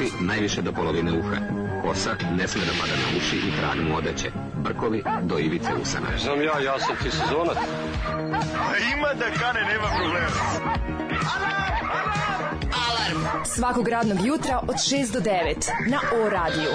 Brkovi najviše do polovine uha. Kosa ne sme da pada na uši i trag mu odeće. Brkovi do ivice usana. Znam ja sam ti sezonac. Ima da kane, nema problema. Alarm svakog radnog jutra od 6 do 9 na O radiju.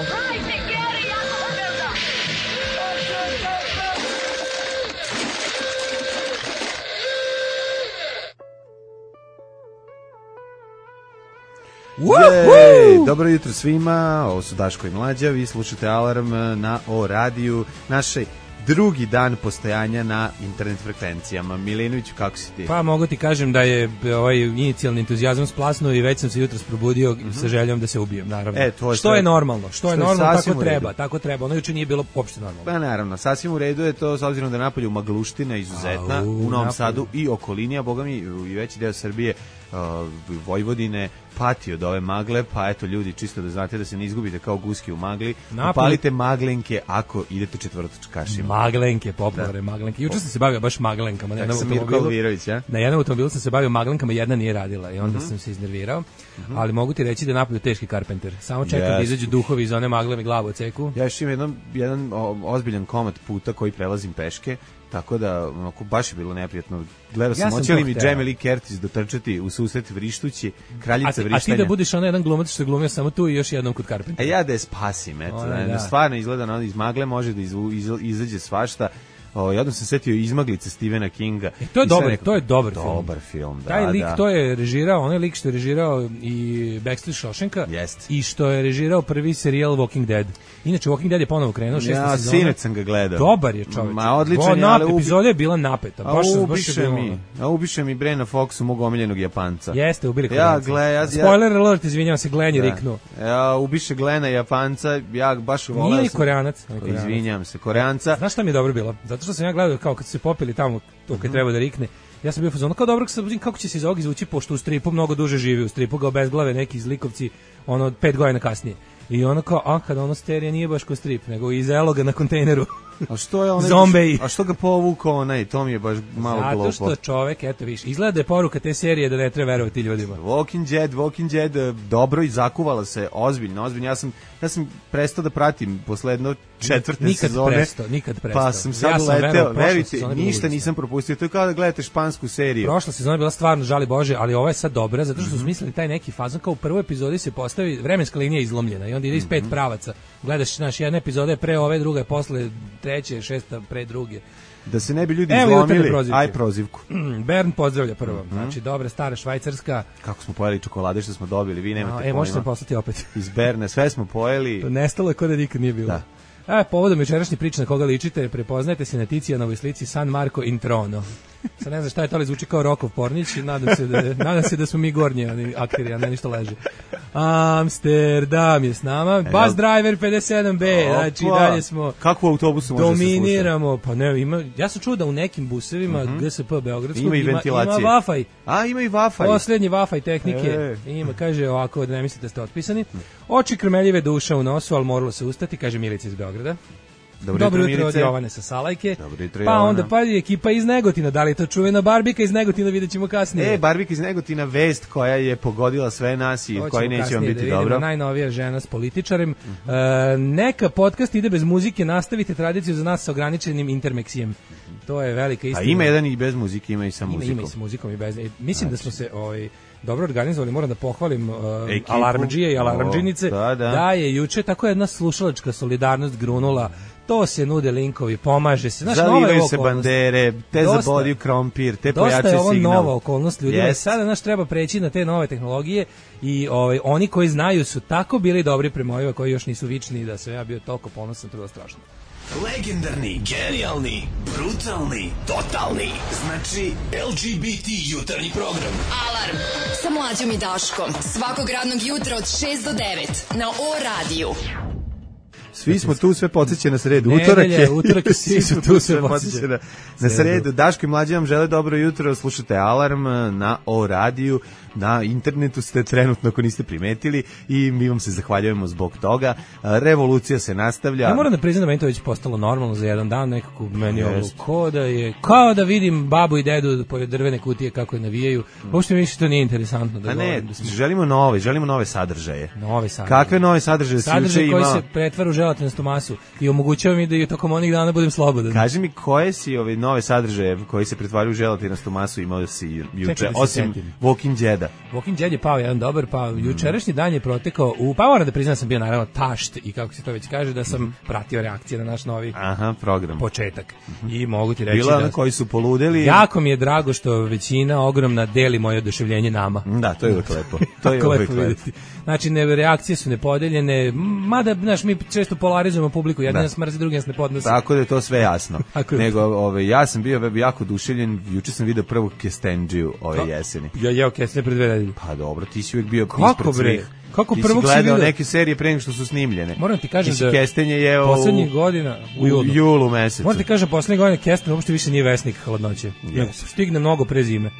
Dobro jutro svima, ovo su Daško i Mlađa, vi slušate Alarm na O radiju, naše drugi dan postojanja na internet frekvencijama. Milinović, kako si ti? Pa mogu ti kažem da je ovaj inicijalni entuzijazam splasnuo i već sam se jutros probudio sa željom da se ubijem, naravno. Što je normalno, tako treba. Ono juče nije bilo uopšte normalno. Pa naravno, sasvim u redu je to, s obzirom da napolju magluština izuzetna u Novom Sadu i okolini, a boga mi i veći deo Srbije, Vojvodine pati od ove magle, pa eto ljudi, čisto da znate da se ne izgubite kao guski u magli, upalite maglenke ako idete četvrtočkašima. Maglenke, popularne maglenke. Juče sam se bavio baš maglenkama. Na jednom automobilu sam se bavio maglenkama, jedna nije radila i onda sam se iznervirao, ali mogu ti reći da je napolju teški Carpenter. Samo čekam da izađu duhovi iz one magle mi glavu odseku. Ja još imam jedan ozbiljan komad puta koji prelazim peške, tako da baš je bilo neprijatno. Gledao sam, hoće li mi Jamie Lee Curtis dotrčati u susret vrištući, kraljica vrištanja. A ti da budiš onaj jedan glumac što je glumio samo tu i još jednom kod Carpentera. Ja da je spasim, eto. Stvarno izgleda na iz magle, može da izađe svašta. Ja sam se setio Izmaglice Stephena Kinga. To je dobar film. Taj lik, to je režirao, onaj lik što je režirao i Backstreet Shawshanka i što je režirao prvi serijal Walking Dead. Inače, Walking Dead je ponovo krenuo 6. sezona. Sinoć sam ga gledao. Dobar je čovjek. Odličan je, ali epizoda je bila napeta. Ubiše mi Brena Foxu, mog omiljenog Japanca. Jeste, ubili Koreanca. Spoiler alert, izvinjavam se, Glenn je riknuo. Ubiše Glena Japanca, ja baš volao. Nije Koreanac. Izvinjavam se, Koreanca. Znaš šta mi je dobro bilo? Zato što sam ja gledao kao kad su se popili tamo to kad treba da rikne. Ja sam bio fazon kao dobro kako će se iz ovog izvući, pošto u stripu mnogo duže živi, u stripu ga obezglave neki zlikovci 5 godina kasnije. I ono kao, kada ono sterija nije baš ko strip, nego iz eloga na kontejneru. A što je onaj Zombeji. A što ga povuko onaj, to mi je baš malo glupo. Zato što čovek, eto viš, izgleda da je poruka te serije da ne treba verovati ljudima. Walking Dead, dobro i zakuvala se, ozbiljno. Ja sam prestao da pratim posle jedno četvrte sezone. Nikad prestao. Pa sam sad leteo, verujte, ništa nisam propustio. To je kao da gledate špansku seriju. Prošla sezona je bila stvarno, žali Bože, ali ova je sad dobra, zato što su smislili taj neki fazon, kao u prvoj epizodi se postavi, vremenska linija je izlomljena i onda ide iz 5 pravaca. Gledaš, jedna epizoda je pre ove, druga je posle treće, šesta pre druge. Da se ne bi ljudi izlomili, aj prozivku. Bern pozdravlja prvo. Znači, dobra, stara švajcarska. Kako smo pojeli čokolade što smo dobili, vi nemate pojma. Možete poslati opet. Iz Berne, sve smo pojeli. Nestalo je kod da nikad nije bilo. Da. Povodom večerašnje priče na koga ličite, prepoznajte se na Ticijanovoj slici San Marco in Trono. Sad ne znam šta je to, ali zvuči kao Rokov Pornić i nadam se da smo mi gornji akteri, a ne ništa leže. Amsterdam je s nama, Bus Driver 57B, znači dalje smo. Kakvu autobusu može se slušati? Dominiramo, pa ne, ja sam čuo da u nekim busevima GSP Beogradskog ima i ventilacije. Ima Wi-Fi. Ima i Wi-Fi. Poslednji Wi-Fi tehnike. Ima, kaže ovako, da ne mislite da ste otpisani. Oči krmeljive, duša u nosu, ali moralo se ustati, kaže Milica iz Beograda. Dobro jutro od Jovane sa Salajke. Pa onda ekipa iz Negotina, da li je to čuvena Barbika iz Negotina, vidjet ćemo kasnije. Barbika iz Negotina, vest koja je pogodila sve nas i koji neće vam biti dobro. Najnovija žena s političarem. Neka podcast ide bez muzike, nastavite tradiciju za nas sa ograničenim intermeksijem. To je velika istina. A ima jedan i bez muzike, ima i sa muzikom. Ima i sa muzikom i bez. Mislim da smo se dobro organizovali, moram da pohvalim alarmdžije i alarmdžinice, da je juče tako jedna slušalačka solidarnost grunula. To se nude linkovi, pomaže se. Zalivaju se bandere, te zabodio krompir, te pojače signal. Dosta je ovo nova okolnost ljudima. Sada treba preći na te nove tehnologije i oni koji znaju su tako bili dobri prema ovima koji još nisu vični da sam ja bio toliko ponosan, to je strašno. Legendarni, genijalni, brutalni, totalni. Znači LGBT jutarnji program. Alarm sa Mlađom i Daškom. Svakog radnog jutra od 6 do 9 na O radiju. Svi smo tu, sve podsjeća na sredu. Utorak je, svi su tu, sve podsjeća na sredu. Daško i Mlađa vam žele dobro jutro, slušate Alarm na O radiju, na internetu ste trenutno ako niste primetili i mi vam se zahvaljujemo zbog toga. Revolucija se nastavlja. Ja moram da priznam da meni to već postalo normalno za jedan dan, nekako meni ovo kao da vidim babu i dedu pored drvene kutije kako je navijaju. Uopšte mi više to nije interesantno. Da želimo nove sadržaje. Nove sadržaje. Kakve nove sadržaje? Sadržaje koji se pretvara u želatinastu masu i omogućava mi da i tokom onih dana budem slobodan. Kaži mi koje si ove nove sadržaje koji se pretvaraju u želatinastu masu imao si juče, osim Walking Deada. Walking Dead je pao jedan dobar, pa jučerašnji dan je protekao pa moram da priznam sam bio naravno tašt i kako se to već kaže da sam pratio reakcije na naš novi program. Početak. I mogu ti reći da koji su poludeli. Jako mi je drago što većina ogromna deli moje oduševljenje nama. Da, to je uvijek lepo. To je uvijek lepo. Znači, reakcije su nepodeljene, mada, znaš, mi često polarizujemo publiku, jedan nas mrzi, drugi nas ne podnosi. Tako da je to sve jasno. Nego, ja sam bio jako duševljen, juče sam vidio prvu Kestenđiju ove jeseni. Ja jeo Kestenđe pre 2 nedelje. Pa dobro, ti si uvijek bio ispred svih. Kako prvog si gledao neke serije pre nego što su snimljene. Moram ti kažem da Kestenje je poslednjih godina u julu mesecu. Moram ti kažem poslednjih godina Kestenje uopšte više nije vesnik hladnoće. Stigne mnogo pre zime.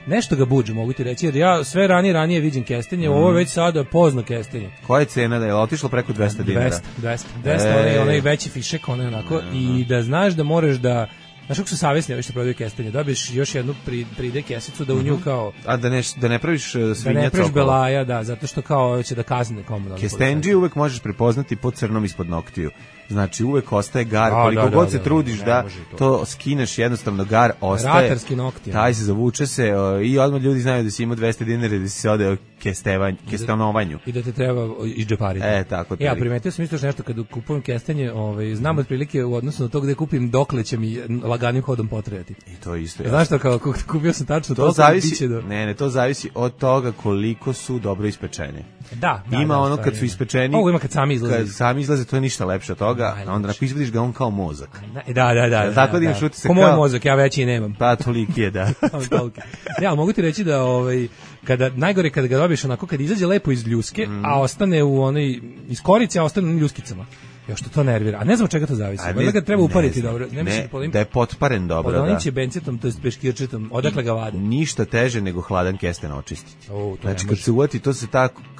Nešto ga buđe, mogu ti reći, jer ja sve ranije vidim Kestenje, ovo je već sada pozno Kestenje. Koja je cena da je otišlo preko 200 dinara? 200, onaj veći fišek, onaj onako, i da znaš da moraš da, znaš kako su savjesni ovi što prodaju Kestenje, dobiješ još jednu pride kesicu da u nju kao... A da ne praviš svinjac okolo? Da ne praviš belaja, da, zato što kao će da kazne komunalno. Kestenđiju uvek možeš prepoznati po crnom ispod noktiju. Znači uvek ostaje gar, koliko god se trudiš da to skineš, jednostavno gar ostaje. Ratarski nokti. Taj se zavuče se i odmah ljudi znaju da si imao 200 dinara da si se ode kestanovanju. I da te treba izdžepariti. Tako. Ja primetio sam isto nešto kad kupujem kestenje, znam otprilike u odnosu na to gde kupim dokle će mi laganim hodom potrajati. I to isto. Znaš što, kao kupio sam tačno to zavisi, to zavisi od toga koliko su dobro ispečeni. Da, ima ono kad su ispečeni. Ovo ima kad sami izlaze. Kad sami izlaze, to je ništa lepše od toga. A onda izvadiš ga on kao mozak. Da. Tako da imaš utisak kao moj mozak, ja veći i nemam. Pa toliki je, da. Ja, mogu ti reći da kada najgore kada ga dobiš onako kad izađe lepo iz ljuske, a ostane u onoj iz korice, a ostane u ljuskicama. Jo što to nervira. A ne znam od čega to zavisi. Valjda ga treba upariti dobro. Ne, da je potparen dobro, da. Podoniće bencetom, to jest peškirčetom. Odakle ga vade? Ništa teže nego hladan kesten očistiti. Znači kad se uvati, to se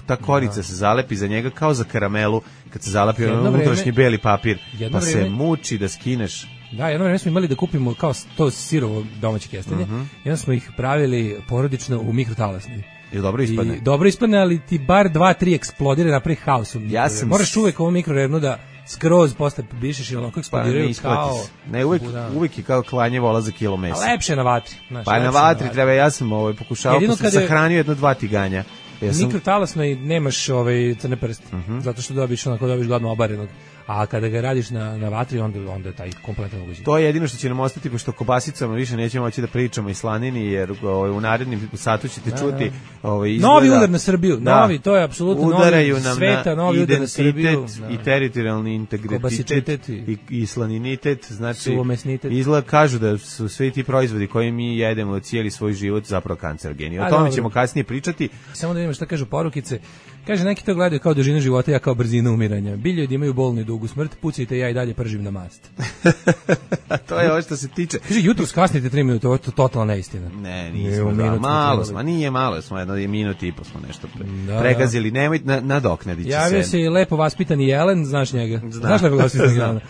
ta korica se zalepi za njega kao za karamelu, kad se zalepi unutrašnji beli papir, pa se muči da skineš. Da, jedno vreme smo imali da kupimo kao to sirovo domaće kestenje. I onda smo ih pravili porodično u mikrotalasni. I dobro ispadne. Dobro ispadne, ali ti bar 2-3 eksplodire, napravi haos. Moraš uvek ovu mikrorernu da skroz posle bišeš i onako eksplodiraju kao... Ne, uvek je kao klanje vola za kilo mesa. A lepše na vatri. Pa na vatri treba, ja sam pokušao, pa sam sahranio 1-2 tiganja. Mikrotalasno i nemaš crne prste, zato što dobiš gladno obarenog. A kada ga radiš na vatri, onda je taj kompletan ugođaj. To je jedino što će nam ostati, pošto kobasicama više nećemo moći da pričamo i slanini, jer u narednim satu ćete čuti izgleda... Novi udar na Srbiju, to je apsolutno novi sveta, novi udar na Srbiju. I teritorijalni integritet, i slaninitet, znači izgleda kažu da su svi ti proizvodi koje mi jedemo cijeli svoj život zapravo kancerogeni. O tome ćemo kasnije pričati. Samo da vidimo šta kažu porukice. Kaže, neki to gledaju kao dužinu života, ja kao brzinu umiranja. Bilje da imaju bolnu i dugu smrt, pucajte, ja i dalje pržim na mast. To je ovo što se tiče. Kaže, jutro skasnite 3 minuta, ovo je totalna neistina. Ne, nismo, malo smo, jedno minut i po smo nešto pregazili, nemoj nadoknadit će se. Javio se i lepo vaspitani Jelen, znaš njega? Znaš lepo vaspitani Jelena?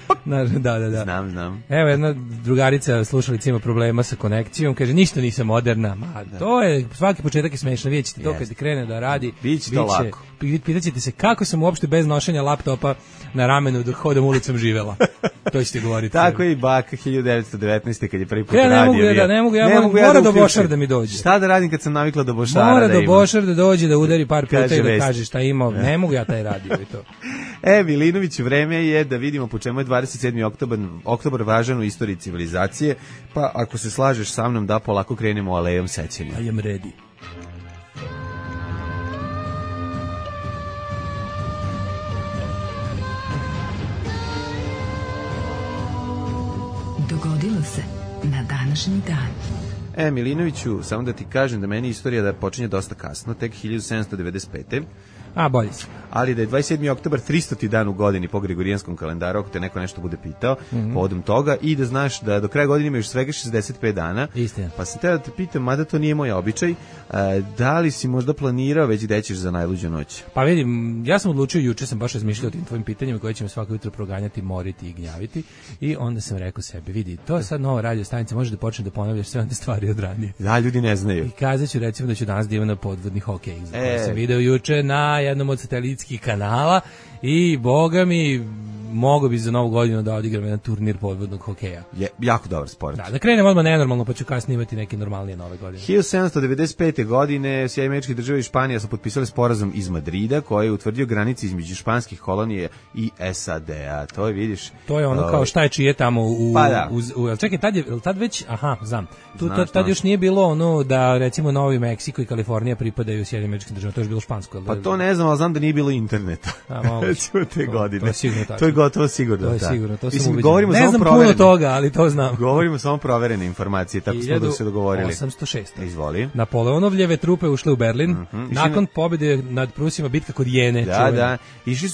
Da. Znam. Evo, jedna drugarica slušalica ima problema sa konekcijom, kaže, ništa nisam moderna. To je, svaki početak je smešno, vidjet ćete to kad krene da radi. Biće to lako. Pitaćete se kako sam uopšte bez nošenja laptopa na ramenu dok hodam ulicom živela. To ćete govoriti. Tako je i baka 1919. kad je prvi put radio. Ne mogu, mora do Bošar da mi dođe. Šta da radim kad sam navikla do Bošara da imam? Mora do Bošar da dođe, da udari par puta i da kaže šta ima. Ne mogu ja taj radio i to. Milinović, vreme je da vidimo po čemu je 27. oktobar važan u istoriji civilizacije, pa ako se slažeš sa mnom da polako krenemo alejom sećanja. I am ready. Dogodilo se na današnji dan. Milinoviću, samo da ti kažem da meni istorija da počinje dosta kasno, tek 1795. A, bolje si. Ali da je 27. oktobar 300. dan u godini po Gregorijanskom kalendaru, ako te neko nešto bude pitao, povodom toga, i da znaš da do kraja godine ima još svega 65 dana. Istina. Pa sam te da te pitam, mada to nije moj običaj, da li si možda planirao već gde ćeš za najluđu noć? Pa vidim, ja sam odlučio, juče sam baš razmišljao o tim tvojim pitanjima koje će me svako jutro proganjati, moriti i gnjaviti, i onda sam rekao sebi, vidi, to je sad nova radio stanica, možeš da počneš da ponavljaš sve one stvari od ranije. Da, ljudi ne znaju. I kazat ću recimo da ću danas da imam na podvodni hokej, za koji sam video juče na jednom od satelitskih kanala, i boga mi, mogo bi za novu godinu da odigram jedan turnir podvodnog hokeja. Je jako dobar sport. Da krenem odmah nenormalno, pa ću kasnije imati neke normalnije nove godine. 1795. godine Sjedinjene Američke Države i Španija su potpisali sporazum iz Madrida koji je utvrdio granice između španskih kolonije i SAD-a. To je, vidiš... To je ono kao šta je čije tamo u... Pa da. Čekaj, tad već... Aha, znam. Znaš. Još nije bilo ono da recimo Novi Meksiko i Kalifornija pripadaju Sjedinjenim Američkim Državama, to je bilo špansko. Pa to ne znam, ali znam da nije bilo interneta. Recimo te godine. To je sigurno tako. To je gotovo sigurno. To je sigurno, to sam Mislim, ubeđen. Ne znam puno toga, ali to znam. Govorimo samo proverene informacije, tako smo da se dogovorili. 1806. Izvoli. Napoleonovljeve trupe ušle u Berlin, nakon pobjede nad Prusima, bitka kod Jene. Da.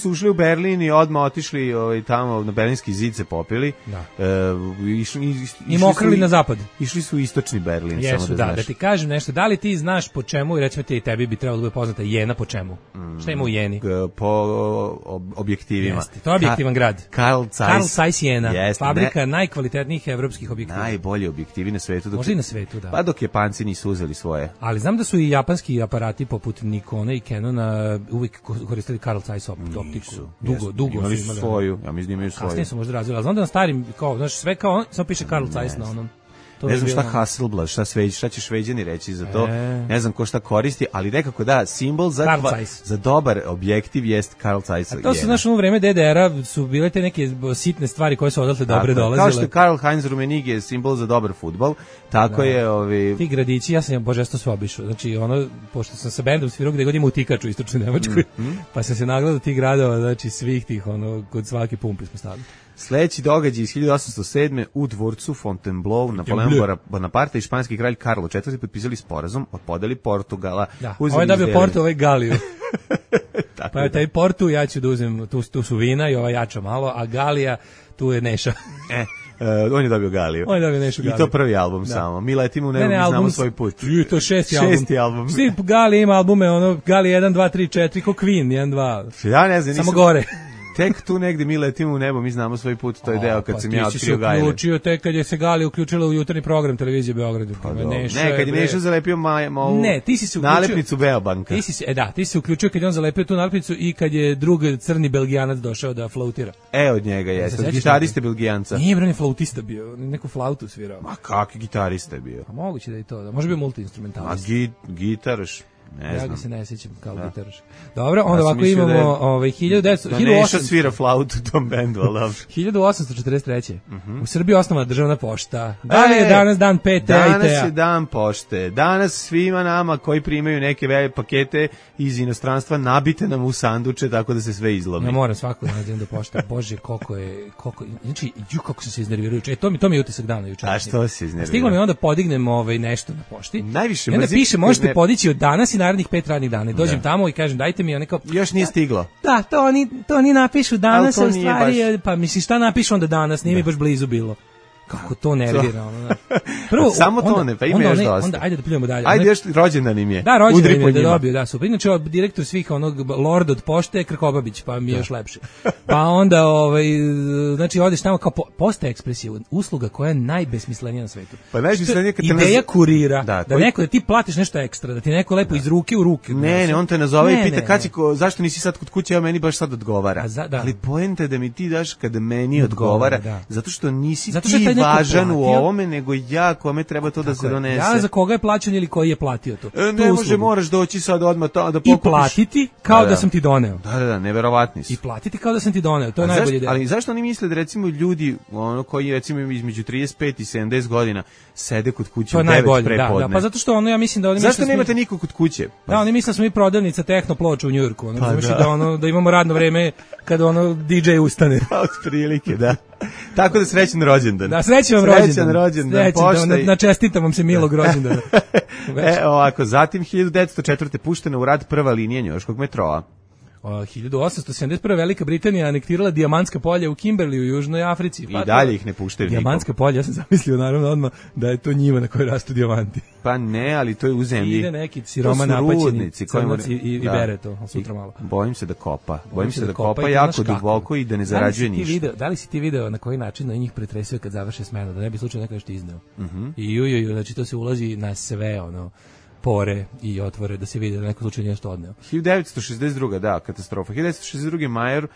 Ušli u Berlin i odmah otišli tamo na Berlinski zid se popili. Da. I mokrili na zapad. Išli su u istočni Berlin, Jesu, samo da znaš. Da ti kažem nešto, da li ti znaš po čemu, i recimo ti i tebi bi trebalo da bude poznata Jena po čemu? Šta ima u Jeni? Po objektivima. Jeste, to je objektivan grad. Carl Zeiss Jena, fabrika najkvalitetnijih evropskih objektiva. Najbolji objektivi na svetu. Možda i na svetu, da. Pa dok Japanci nisu uzeli svoje. Ali znam da su i japanski aparati poput Nikona i Canona uvijek koristili Carl Zeiss optiku. Dugo imali su imali svoju, ja mislim da imaju svoju. Kasnije su možda razvili, ali znam da na starim, kao, znaš, sve kao, samo piše Carl Zeiss na onom. Ne znam šta Hasselblad, šta će Šveđani reći za to, ne znam ko šta koristi, ali nekako da, simbol za dobar objektiv jest Carl Zeiss. A to su, znaš, u vreme DDR-a su bile te neke sitne stvari koje su odatle dobre dolazile. Kao što je Karl Heinz Rummenigge simbol za dobar fudbal, tako je... Ti gradići, ja sam božesto sve obišao, znači ono, pošto sam sa bendom svirao gde god ima utikač u istočnoj Nemačkoj, pa sam se nagledao tih gradova, znači svih tih, ono, kod svake pumpe smo stavili. Sledeći događaj iz 1807. u dvorcu Fontainebleau Napoleon Bonaparte i španski kralj Karlo IV potpisali sporazum o podeli Portugala. Da, ovo je dobio Porto, ovo je Galiju. Pa je taj Portu, ja ću da uzem, tu su vina i ova jača malo, a Galija, tu je Neša. On je dobio Galiju. On je dobio Nešu Galiju. I to prvi album samo. Mi letimo u nebo, mi znamo svoj put. To je šesti album. Svi Galija ima albume, ono, Galija 1, 2, 3, 4, ko Queen, 1, 2. Ja ne znam, samo gore. Tek tu negde mi letimo u nebo, mi znamo svoj put, to je deo kad sam ja otkrio Gajle. Ti si se uključio tek kad je se Gali uključila u jutarnji program televizije Beogradu. Ne, kad je Neša zalepio nalepnicu Beobanka. Ti si se uključio kad je on zalepio tu nalepnicu i kad je drug crni Belgijanac došao da flautira. Od njega jeste, gitariste Belgijanca. Nije bre, flautista bio, neku flautu svirao. Ma kakvi gitarista je bio? A moguće da je to, da. Može bio multiinstrumentalist. A gitaraš? Ne znam. Ja ga se ne sjećam kao gitaraš. dobro, onda ovako imamo 1900... Neša svira flautu u tom bendu, ali dobro. 1843. U Srbiji osnovana državna pošta. Da li je danas dan PT-a i TEA? Danas je dan pošte. Danas svima nama koji primaju neke pakete iz inostranstva nabite nam u sanduče tako da se sve izlomi. Ja moram svako da nađem do pošte. Bože, koliko znači, kako sam se iznervirao juče. To mi je utisak dana juče. A što se iznervirao? Stiglo mi onda podignem nešto na pošti. Najviše mrzim. I onda piše, možete podići od danas i narednih 5 radnih dana. Dođem tamo i kažem, dajte mi, kao... Još nije stiglo. Da, to oni napišu danas, u stvari, pa misli šta napišu onda danas, nije mi baš blizu bilo. Kako to nervira, Prvo, samo to ne, pa ima još dosta. Onda ajde da pljujemo dalje. Ajde još rođendan im je. Da, rođendan im je da dobio, da, super. Inače, direktor svih lord od pošte je Krkobabić, pa mi je još lepše. Pa onda, znači, odeš tamo kao Posta Ekspres je usluga koja je najbesmislenija na svetu. Pa najbesmislenija kad te ideja kurira, da ti platiš nešto ekstra, da ti neko lepo iz ruke u ruke. Ne, on te nazove i pita zašto nisi sad kod kuće, a meni baš sad odgovara. Ali poenta je da mi ti daš kada meni odgovara, zato što nisi ti važan u ovome, nego ja kome treba to da se donese. Ja za koga je plaćen ili koji je platio to. Ne može, moraš doći sad odmah da pokupiš. I platiti kao da sam ti doneo. Da, neverovatni su. I platiti kao da sam ti doneo, to je najbolje ideja. Ali zašto oni misle da recimo ljudi koji recimo između 35 i 70 godina sede kod kuće u 9 prepodne? Da, pa zato što ja mislim da oni misle... Zašto nemate nikog kod kuće? Da, oni misle da smo mi prodavnica tehno ploča u Njujorku. Da imamo radno vreme kada DJ ustane. Otprilike, da. Tako da srećan rođendan. Da, srećan rođendan. Na čestitam vam se milog rođendana. Ovako, zatim 1904. puštena u rad prva linija njujorškog metroa. 1871. Velika Britanija anektirala dijamantska polja u Kimberley u Južnoj Africi. I dalje ih ne puštaju nikom. Dijamantska polja, ja sam zamislio naravno odmah da je to njiva na kojoj rastu dijamanti. Pa ne, ali to je u zemlji. Ide neki siroma napaćeni crnac i bere to, sutra malo. Bojim se da kopa. Bojim se da kopa jako duboko i da ne zarađuje ništa. Da li si ti video na koji način na njih pretresio kad završe smenu, da ne bi slučajno neko nešto izneo? I znači to se ulazi na sve, pore i otvore da se vidi da neko slučaj nešto odneo. 1962. da, katastrofa. 1962. major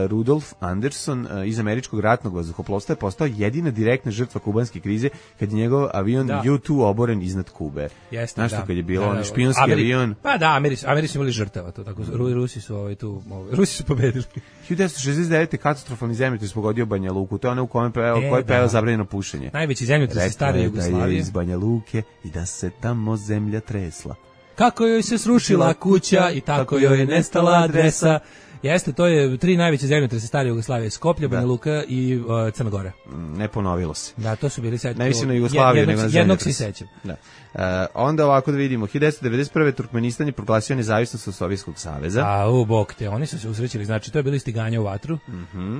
Rudolf Anderson iz američkog ratnog vazduhoplovstva je postao jedina direktna žrtva kubanske krize kad je njegov avion U-2 oboren iznad Kube. Jeste, znaš što kad je bilo špijunski avion? Pa da, Ameri su imali žrtava, to tako. Rusi su pobedili. 1969. katastrofalni zemljotres pogodio Banja Luku. To je ono u kome koji peva zabranjeno pušenje. Najveći zemljotres iz stare Jugoslavije. Da je iz Banja Luke i da se tamo zemlja tresla. Kako joj se srušila kuća i tako joj je nestala adresa. Jeste, to je 3 najveće zemljotrese stare Jugoslavije, Skoplje, Banja Luka i Crna Gora. Ne ponovilo se. Da, to su bili sad. Ne mislim na Jugoslaviju, nego na jednog se sećam. Da. Onda ovako da vidimo, 1991. Turkmenistan je proglasio nezavisnost od Sovjetskog saveza. Bog te, oni su se usrećili, znači to je bili stiganja u vatru.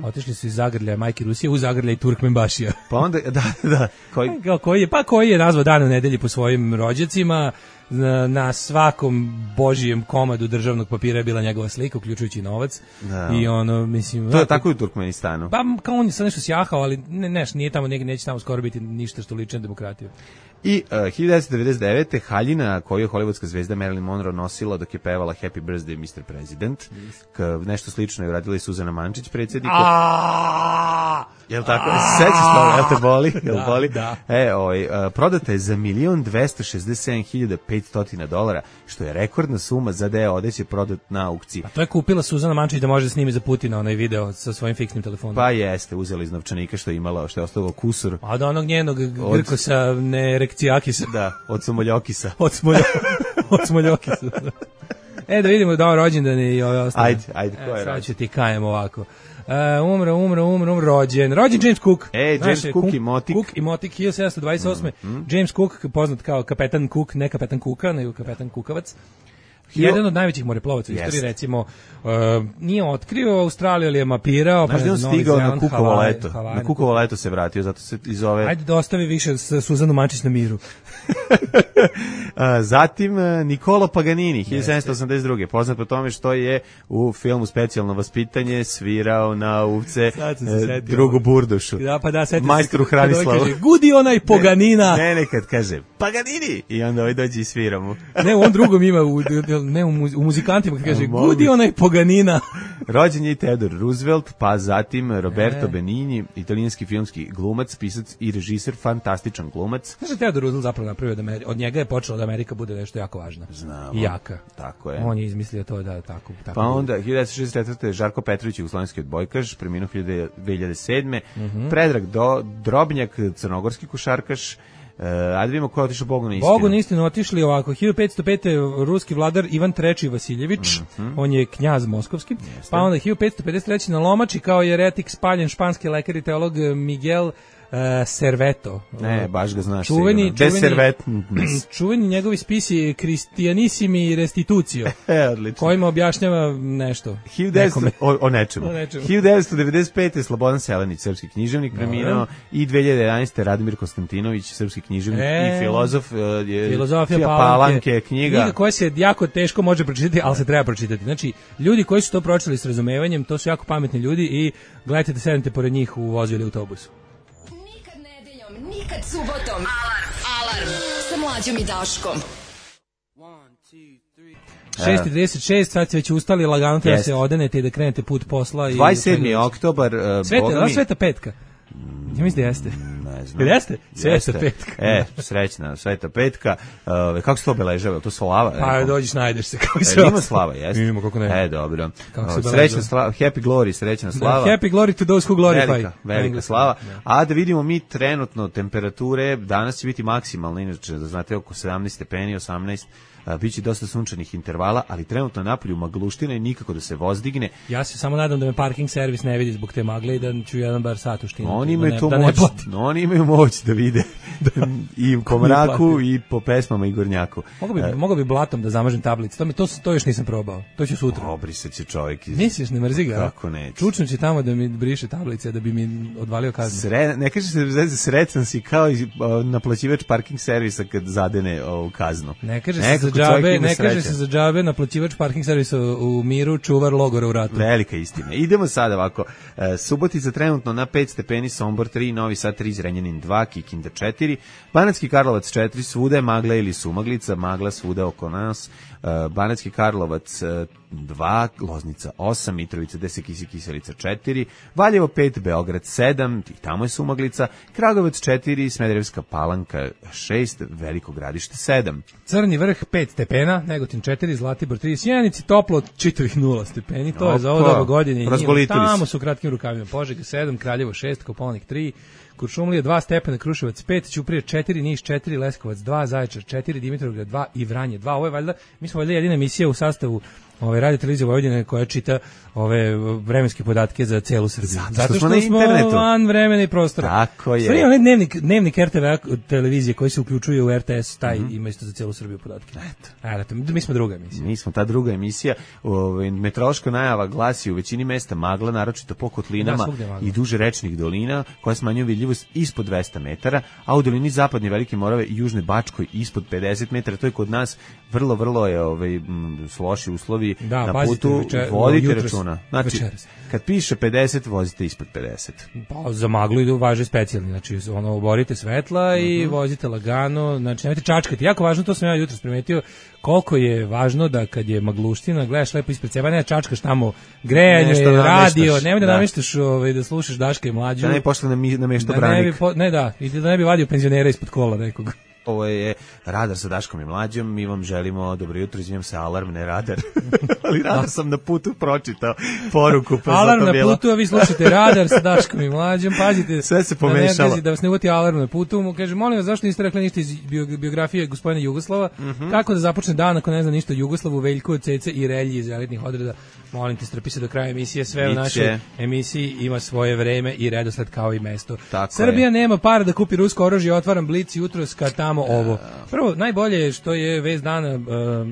Otišli su iz zagrljaja majke Rusije u zagrljaj Turkmenbašija. Pa onda, da. Koji je nazvao dan u nedelji po svojim rođacima. Na svakom božijem komadu državnog papira je bila njegova slika, uključujući novac. Da. I mislim... To je tako i u Turkmenistanu. Pa kao on je sad nešto sjahao, ali nije tamo, neće tamo skoro biti ništa što liči na demokratiju. I 1999. haljina koju je hollywoodska zvezda Marilyn Monroe nosila dok je pevala Happy Birthday Mr. President. Nešto slično je uradila i Suzana Mančić, predsjedniku. Jel tako? Sećaš to? Jel te boli? Jel boli? Da. Prodata je za $1,267,500, što je rekordna suma za deo odeće prodat na aukciji. A to je kupila Suzana Mančić da može da snimi za Putina onaj video sa svojim fiksnim telefonom. Pa jeste, uzela iz novčanika što je imala, što je ostalo kusur. A od onog njenog Grkosa neerekcijakisa. Da, od Smoljokisa. Od Smoljokisa. Da vidimo da on rođendan i ove ostale. Ajde, ko je rođen? Sad ću ti kajem ovako. Umro, rođen James Cook. James Cook i Motik. Cook i Motik, 1728. James Cook, poznat kao kapetan Cook, ne kapetan Kuka, nego kapetan Kukavac. Jedan od najvećih moreplovaca u istoriji, recimo, nije otkrio Australiju, ali je mapirao. Znaš da on stigao na Kukovo leto? Na Kukovo leto se vratio, zato se i zove... Ajde da ostavi više Suzanu Mančić na miru. Zatim Niccolo Paganini, 1782. Poznat po tome što je u filmu Specijalno vaspitanje svirao na uvce drugu burdušu. Majstru Hranislavu. Gudi onaj Paganina. Ne, kad kaže Paganini i onda ovaj dođe i svira mu. Ne, on drugom ima u muzikantima kad kaže gudi onaj Paganina. Rođen je i Theodore Roosevelt, pa zatim Roberto Benigni, italijanski filmski glumac, pisac i režiser, fantastičan glumac. Znaš da Theodore Roosevelt zapravo napravio od njega je počelo da Amerika bude nešto jako važna. Znamo. I jaka. Tako je. On je izmislio to da tako. Pa onda 1964. Žarko Petrović, jugoslovenski odbojkaš, preminuo 2007. Predrag Drobnjak, crnogorski košarkaš. Ajde vidimo ko je otišao Bogu na istinu. Bogu na istinu otišli ovako. 1505. ruski vladar Ivan III. Vasiljević, on je knjaz moskovski. Pa onda 1553. na Lomači kao jeretik spaljen španski lekar i teolog Miguel Serveto. Ne, baš ga znaš čuveni njegovi spisi Christianissimi Restitutio. Odlično. Kojima objašnjava nešto. O nečemu. 1995. Slobodan Selenić, srpski književnik, preminuo i 2011. Radimir Konstantinović, srpski književnik i filozof. Filozofija Palanke, knjiga koja se jako teško može pročitati, ali se treba pročitati. Znači, ljudi koji su to pročitali s razumevanjem, to su jako pametni ljudi i gledajte da sednete pored njih u vozu ili autobusu. Nikad subotom. Alarm. Sa Mlađom i Daškom. 6:36, sad ste već ustali, lagano treba se odenete i da krenete put posla. 27. oktobar. Sveta petka. Ja mislim da jeste. Ne znam. Jeste? Sveta petka. Srećna Sveta petka. Kako se to obeležava? To slava? Pa dođeš, najdeš se. Ima slava, jeste? Ima, kako ne. Dobro. Srećna slava, happy glory, srećna slava. Happy glory to those who glorify. Velika slava. A da vidimo mi trenutno temperature, danas će biti maksimalno, inače da znate oko 17 stepeni, 18 biće dosta sunčanih intervala, ali trenutno napolju magluština i nikako da se vozdigne. Ja se samo nadam da me parking servis ne vidi zbog te magle i da ću jedan bar sat uštinuti. Oni imaju moć da vide i po mraku i po pesmama i gornjaku. Mogu bi blatom da zamažem tablice. To još nisam probao. To ću sutra. Obrisat će čovjek. Misliš, ne mrzi ga? Kako neće? Čučnući tamo da mi briše tablice, da bi mi odvalio kaznu. Ne kaže se srećan si kao naplaćivač parking servisa kad zadene ovu kaznu. Ne kaže se za džabe naplaćivač parking servisa u miru, čuvar logora u ratu. Velika istina. Idemo sada ovako. Subotica trenutno na 5 stepeni, Sombor 3, Novi Sad 3, Zrenjanin 2, Kikinda 4, Banatski Karlovac 4, svuda je magla ili sumaglica, magla svuda oko nas. Banatski Karlovac 2, Loznica 8, Mitrovica 10, Kiselica 4, Valjevo 5, Beograd 7, i tamo je sumaglica, Kragujevac 4, Smederevska Palanka 6, Veliko Gradište 7. Crni vrh 5 stepena, Negotin 4, Zlatibor 3, Sjenici toplo čitavih 0 stepeni, to je za ovo doba godine. Tamo su u kratkim rukavima, Požega 7, Kraljevo 6, Kopaonik 3, Kuršumlija 2 stepena, Kruševac 5, Ćuprija 4, Niš 4, Leskovac 2, Zaječar 4, Dimitrovgrad 2 i Vranje 2. Ovo je valjda, mi smo valjda jedina emisija u sastavu Radio Televizije Vojvodine koja čita ove vremenske podatke za celu Srbiju. Zato što smo van vremena i prostora. Tako je. Sve onaj dnevnik RTV televizije koji se uključuje u RTS, taj ima isto za celu Srbiju podatke. Eto, mi smo druga emisija. Mi smo ta druga emisija. Meteorološka najava glasi u većini mesta magla, naročito po kotlinama i duže rečnih dolina, koja smanjuje vidljivost ispod 200 metara, a u dolini Zapadne Velike Morave i Južne Bačkoj ispod 50 metara. To je kod nas vrlo je loši uslovi na putu. Vodite računa. Znači, kad piše 50, vozite ispod 50. Pa za maglu važe specijalni, znači oborite svetla i vozite lagano, znači nemojte čačkati. Jako važno, to sam ja jutros primetio, koliko je važno da kad je magluština, gledaš lepo ispred sebe, ne čačkaš tamo grejanje, radio, nemoj da nameštaš da slušaš Daška i Mlađu. Da ne pošle na mjesto branik. I da ne bi vadio penzionera ispod kola nekog. Ovo je Radar sa Daškom i Mlađom, mi vam želimo dobro jutro, izvinjam se, alarm, ne radar. Ali radar sam na putu pročitao poruku. Pa alarm na putu, a vi slušate Radar sa Daškom i Mlađom, pazite. Sve se pomešalo. Da vas ne uvati alarm na putu, mu kaže, molim vas, zašto niste rekli ništa iz biografije gospodina Jugoslava, kako da započne dan ako ne zna ništa o Jugoslavu, Veljko, Cece i Relji iz elitnih odreda. Molim te, strpi se do kraja emisije, sve u našoj emisiji ima svoje vreme i redosled kao i mesto. Srbija nema para da kupi rusko oružje, otvaram Blic jutros kad tamo ovo. Prvo, najbolje je što je vest dana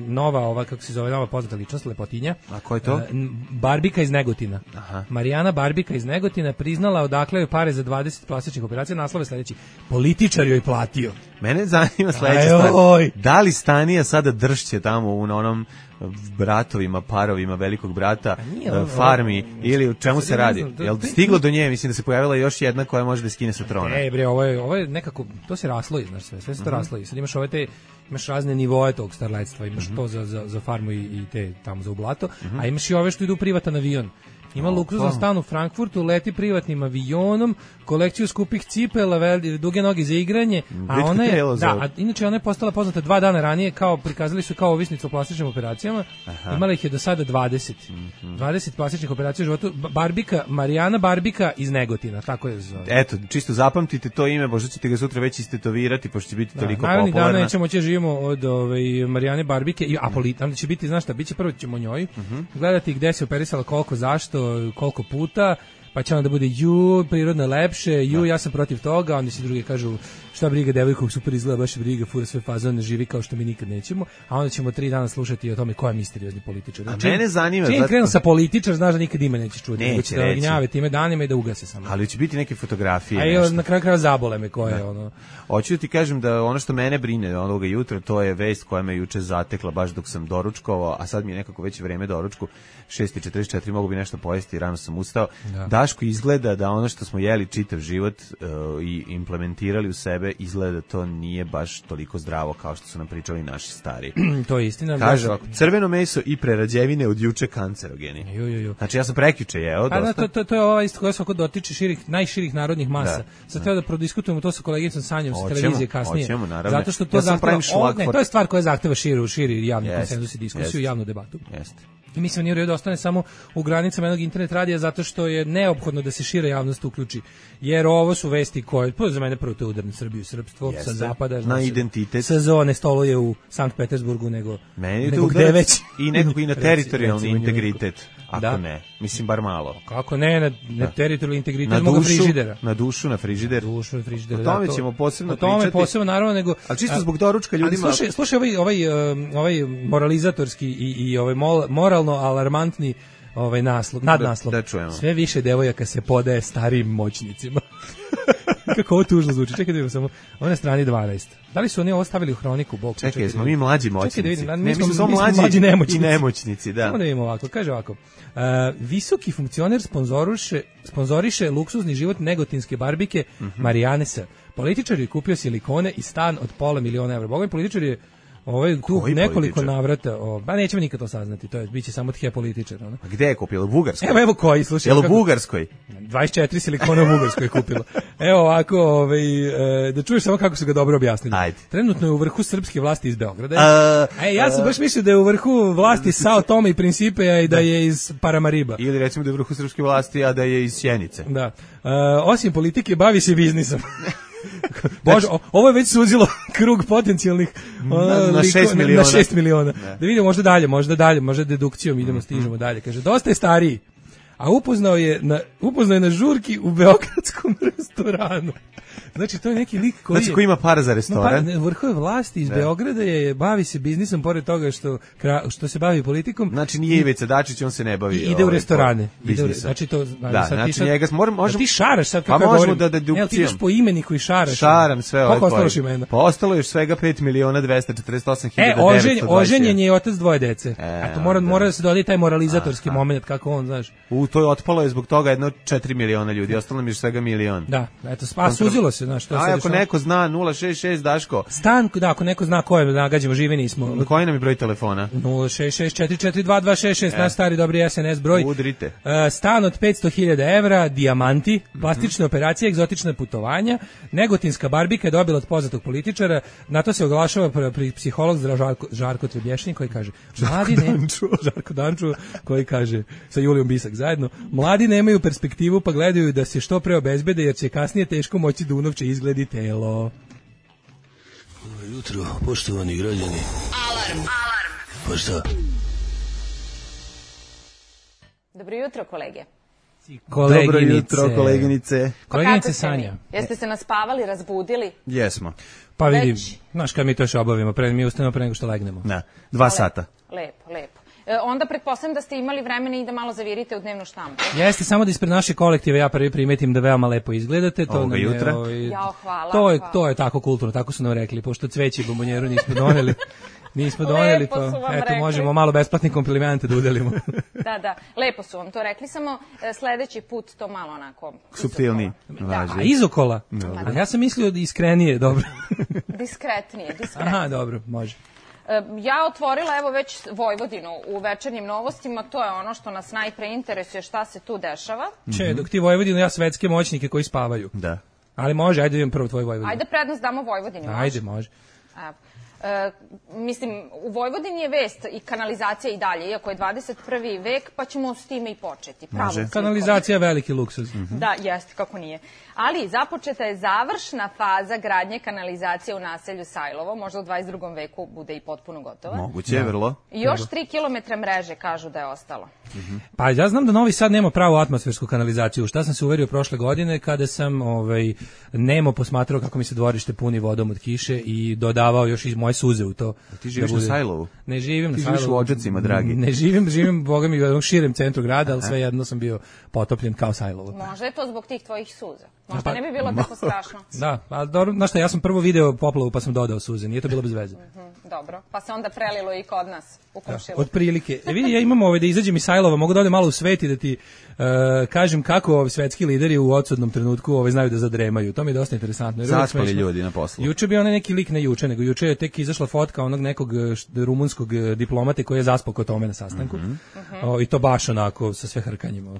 nova, kako se zove, nova poznata ličnost, lepotinja. A ko je to? Barbika iz Negotina. Aha. Marijana Barbika iz Negotina priznala odakle joj pare za 20 plastičnih operacija. Naslov je sledeći: političar joj platio. Mene zanima sledeća stvar. Da li Stanija sada dršće tamo na onom bratovima, parovima velikog brata, farmi, ili u čemu se radi? Jel stiglo do nje? Mislim da se pojavila još jedna koja može da skine sa trona. Bre, ovo je nekako, to se rasloji, znaš, sve se to rasloji. Sad imaš imaš razne nivoe tog starletstva, imaš to za farmu i te tamo za ublato, a imaš i ove što idu u privatan avion. Ima luksuzan stan u Frankfurtu, leti privatnim avionom, kolekciju skupih cipela, duge noge za igranje, a ona je, inače ona je postala poznata 2 dana ranije, prikazali su kao ovisnicu o plastičnim operacijama. Imala ih je do sada 20. 20 plastičnih operacija u životu. Marijana Barbika iz Negotina, tako je zove. Eto, čisto zapamtite to ime, možda ćete ga sutra već istetovirati, pošto će biti toliko popularna. Naravni dana nećemo živimo od Marijane Barbike, a onda će biti, znaš šta, biće prvo ćemo njoj gledati gde se operisala, koliko, zašto, koliko puta, pa će onda bude prirodno lepše, ja sam protiv toga, onda se drugi kažu šta briga, devojka super izgleda, baš briga, fura sve fazone, živi kao što mi nikad nećemo, a onda ćemo 3 dana slušati o tome ko je misteriozni političar. A mene zanima, čim krenu sa političar, znaš da nikad ime nećeš čuti, neće da gnjave time danima i da ugase samo. Ali će biti neke fotografije, nešto. A na kraju zabole me koje ono. Hoću da ti kažem da ono što mene brine onoga jutra, to je vest koja me juče zatekla baš dok sam doručkovao, a sad mi je nekako već vreme doručku, 6:44, mogu bi nešto pojesti, rano sam ustao. Daško izgleda da ono što smo jeli čitav život i implementirali u sebe, izgleda to nije baš toliko zdravo kao što su nam pričali naši stari. To je istina. Kaže ovako, crveno meso i prerađevine od juče kancerogeni. Znači ja sam prekjuče jeo dosta. To je ova isto koja svako dotiče najširih narodnih masa. Sad treba da prodiskutujemo to sa kolegicom Sanjom sa televizije kasnije. Zato što to zahteva, to je stvar koja zahteva širi javni konsenzus i diskusiju, javnu debatu. Jeste. I mislim nije u redu da ostane samo u granicama jednog internet radija zato što je neophodno da se šira javnost uključi, jer ovo su vesti koje, za mene prvo to je udar na Srbiju i srpstvo, sa zapada, na identitet. SZO ne stoluje u Sankt Petersburgu, nego gde već. I nekako i na teritorijalni integritet, ako ne. Mislim, bar malo. Kako ne, na teritorijalni integritet moga frižidera. Na dušu, na frižider. O tome ćemo posebno pričati. O tome posebno, naravno, nego... Ali čisto zbog doručka ljudima... Slušaj, ovaj moralizatorski i ovaj moralno alarmantni nadnaslov. Da čujemo. Sve više devojaka se podaje starijim moćnicima. Kako ovo tužno zvuči. Čekaj da vidimo samo. Ovo na strani 12. Da li su oni ovo stavili u hroniku? Bog, čekaj, smo mi mlađi moćnici. Mi smo mlađi nemoćnici. I nemoćnici, da. Samo da vidimo ovako. Kaže ovako. Visoki funkcioner sponzoriše luksuzni život negotinske barbike Marijane S. Političar je kupio silikone i stan od $500.000 evra. Boga mi političar je tu nekoliko navrata, nećemo nikad to saznati, to je, bit će samo tje političar. A gde je kupilo? U Bugarskoj? Evo koji, slušaj. Jel u Bugarskoj? 24 silikona u Bugarskoj je kupilo. Evo ovako, da čuješ samo kako su ga dobro objasnili. Ajde. Trenutno je u vrhu srpske vlasti iz Beograda. Ja sam baš mislio da je u vrhu vlasti Sao Tome i Principe i da je iz Paramariba. Ili recimo da je u vrhu srpske vlasti, a da je iz Sjenice. Da. Osim politike, bavi se biznisom. Bože, ovo je već suzilo krug potencijalnih na 6 miliona. Na 6 miliona. Da vidimo možda dalje, možda dedukcijom stižemo dalje. Kaže, dosta je stariji, a upoznao je na žurki u beogradskom restoranu. Znači, to je neki lik koji... Znači, ko ima para za restoran. Vrhove vlasti iz Beograda bavi se biznisom, pored toga što se bavi politikom. Znači, nije Ivica Dačić, on se ne bavi... Ide u restorane. Znači, njega... Ti šaraš sad kako ja govorim. Ti ideš po imeniku i šaraš. Šaram sve ove koje. Koliko ostaloš imena? Pa ostalo još svega 5.248.921. Oženjen je otac dvoje dece. To mora da se dodati taj moralizatorski moment, kako on, znaš. To je otpalo je zbog toga 4 miliona ljudi, ostalo mi je svega milion. Da, eto, suzilo se. Ako neko zna 066 Daško. Stan, ako neko zna ko je, nagađamo, živi nismo. Koji nam je broj telefona? 066-442-266, naš stari dobri SNS broj. Udrite. Stan od 500.000 evra, dijamanti, plastične operacije, egzotična putovanja, negotinska barbika je dobila od poznatog političara, na to se oglašava psiholog Žarko Trebješnjik koji kaže, Žarko Dančo koji kaže, sa Julijom Bisak zajedno, mladi nemaju perspektivu pa gledaju da se što pre obezbede jer će kasnije teško moći da unovče izgledi telo. Dobro jutro, poštovani građani. Alarm. Pa šta? Dobro jutro, kolege. Dobro jutro, koleginice. Koleginice Sanja. Jeste se naspavali, razbudili? Jesmo. Pa vidim, znaš kad mi to još obavimo, mi ustanemo pre nego što legnemo. 2 sata. Lepo. Onda pretpostavljam da ste imali vremena i da malo zavirite u dnevnu štampu. Jeste, samo da ispred naše kolektive ja prvi primetim da veoma lepo izgledate. Ovoga jutra. Hvala. To je tako kulturno, tako su nam rekli, pošto cveće i bombonjeru nismo doneli. Pa eto, možemo malo besplatni komplimente da udelimo. Da, lepo su vam to rekli, samo sledeći put to malo onako... Suptilni. A izokola? Ja sam mislio da iskrenije, dobro. Diskretnije. Aha, dobro, može. Ja otvorila evo već Vojvodinu u večernjim novostima, to je ono što nas najpre interesuje šta se tu dešava. Dok ti Vojvodinu, ja svetske moćnike koji spavaju. Da. Ali može, ajde vidim prvo tvoj Vojvodinu. Ajde prednost damo Vojvodini, može? Ajde, može. Mislim, u Vojvodini je vest i kanalizacija i dalje, iako je 21. vek, pa ćemo s time i početi. Može. Kanalizacija je veliki luksuz. Da, jeste, kako nije. Ali započeta je završna faza gradnje kanalizacije u naselju Sajlovo, možda u 22. veku bude i potpuno gotova. Moguće je, vrlo. I još 3 kilometra mreže kažu da je ostalo. Pa ja znam da Novi Sad nema pravu atmosfersku kanalizaciju. Šta sam se uverio prošle godine kada sam nemo posmatrao kako mi se dvorište puni vodom od kiše i dodavao još i moje suze u to. Ti živiš na Sajlovu? Ne živim na Sajlovu. Ti živiš u Odžacima, dragi? Ne živim, boga mi, u jednom širem centru grada, ali svejedno sam bio potopljen kao Sajlovo. Možda je to zbog tih tvojih suza. Možda ne bi bilo tako strašno. Da, ali dobro, znaš šta, ja sam prvo video poplavu pa sam dodao suze, nije to bilo bez veze. Dobro, pa se onda prelilo i kod nas u komšilu. Od prilike. Vidi, ja imam da izađem iz Sajlova, mogu da odem malo u svet i da ti kažem kako svetski lideri u odsudnom trenutku znaju da zadremaju. To mi je dosta interesantno. Zaspali ljudi na poslu. Juče bi onaj neki lik, ne juče, nego juče je tek izašla fotka onog nekog rumunskog diplomate koji je zaspao kod tome na sastanku. I to baš onako sa sve hrkanjima.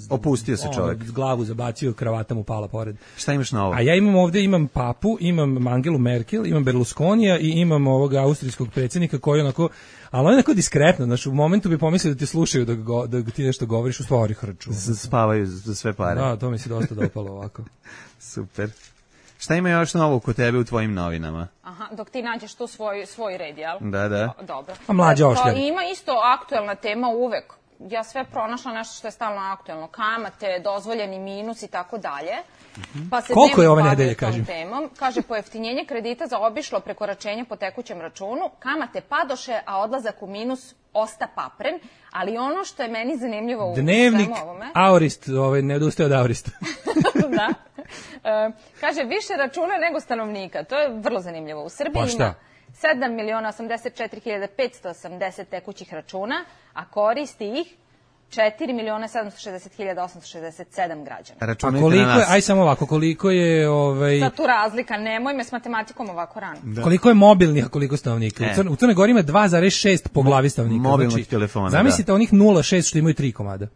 Opustio se čovjek. Glavu zabacio, kravata mu pala pored. Šta imaš novo? A ja imam papu, imam Angelu Merkel, imam Berlusconija i imam ovog austrijskog predsjednika koji onako, ali on je onako diskretno, znači u momentu bi pomislio da te slušaju da ti nešto govoriš, u stvari hrču. Spavaju za sve pare. Da, to mi se dosta dopalo ovako. Super. Šta ima još novo kod tebe u tvojim novinama? Aha, dok ti nađeš tu svoj red, jel? Da. Dobro. A mlađa ošljavi. Ima isto aktuelna tema uvek. Ja sve pronašla nešto što je stalno aktuelno. Kamate, dozvoljeni minus i tako dalje. Pa se koliko je ove bavim nedelje, tom kažem? temom. Kaže, pojeftinjenje kredita za obišlo prekoračenje po tekućem računu, kamate padoše, a odlazak u minus osta papren, ali ono što je meni zanimljivo u Dnevnik svemu ovome... Aurist, ne odustaje od Aurista. Da. Kaže, više računa nego stanovnika. To je vrlo zanimljivo. U Srbiji ima 7.084.580 tekućih računa, a koristi ih 4.760.867 građana. Računajte na nas. Aj samo ovako, koliko je... Sad tu razlika, nemoj me s matematikom ovako rano. Da. Koliko je mobilnih, a koliko stanovnika? U Crnoj Gori ima 2,6 po glavi stanovnika. Mobilnih telefona, zamislite onih 0,6 što imaju 3 komada.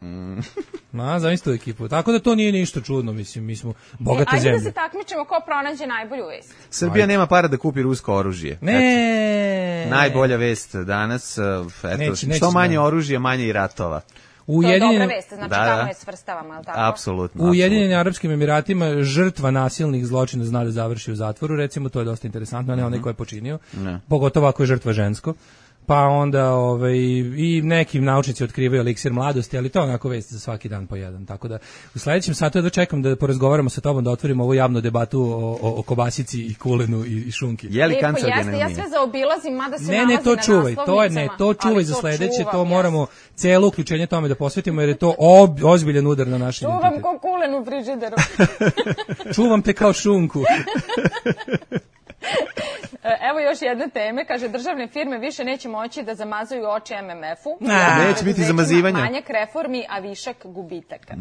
Zamislite tu ekipu. Tako da to nije ništa čudno, mislim, mi smo bogate zemlje. Ajde da se takmičimo ko pronađe najbolju vest. Srbija nema para da kupi rusko oružje. Ne. Najbolja vest danas, što manje oružja, manje i ratova. To je dobra vest, znači tamo je svrstavamo, ali tako? Apsolutno. U Ujedinjenim Arapskim Emiratima žrtva nasilnih zločina zna da završi u zatvoru, recimo, to je dosta interesantno, ne onaj ko je počinio, pogotovo ako je žrtva žensko. Pa onda i neki naučnici otkrivaju eliksir mladosti, ali to je onako vest za svaki dan po jedan. Tako da u sledećem satu ja dočekam da porazgovaramo sa tobom, da otvorimo ovu javnu debatu o kobasici i kulenu i šunki. Je li kancerogena? Ja sve zaobilazim, mada se ne, to čuvaj, to čuvaj za sledeće, to moramo celo uključenje tome da posvetimo, jer je to ozbiljan udar na naš identitet. Čuvam ko kulen u frižideru. Čuvam te kao šunku. Evo još jedne teme, kaže, državne firme više neće moći da zamazaju oči MMF-u. Neće biti zamazivanja. Manjak reformi, a višak gubitaka.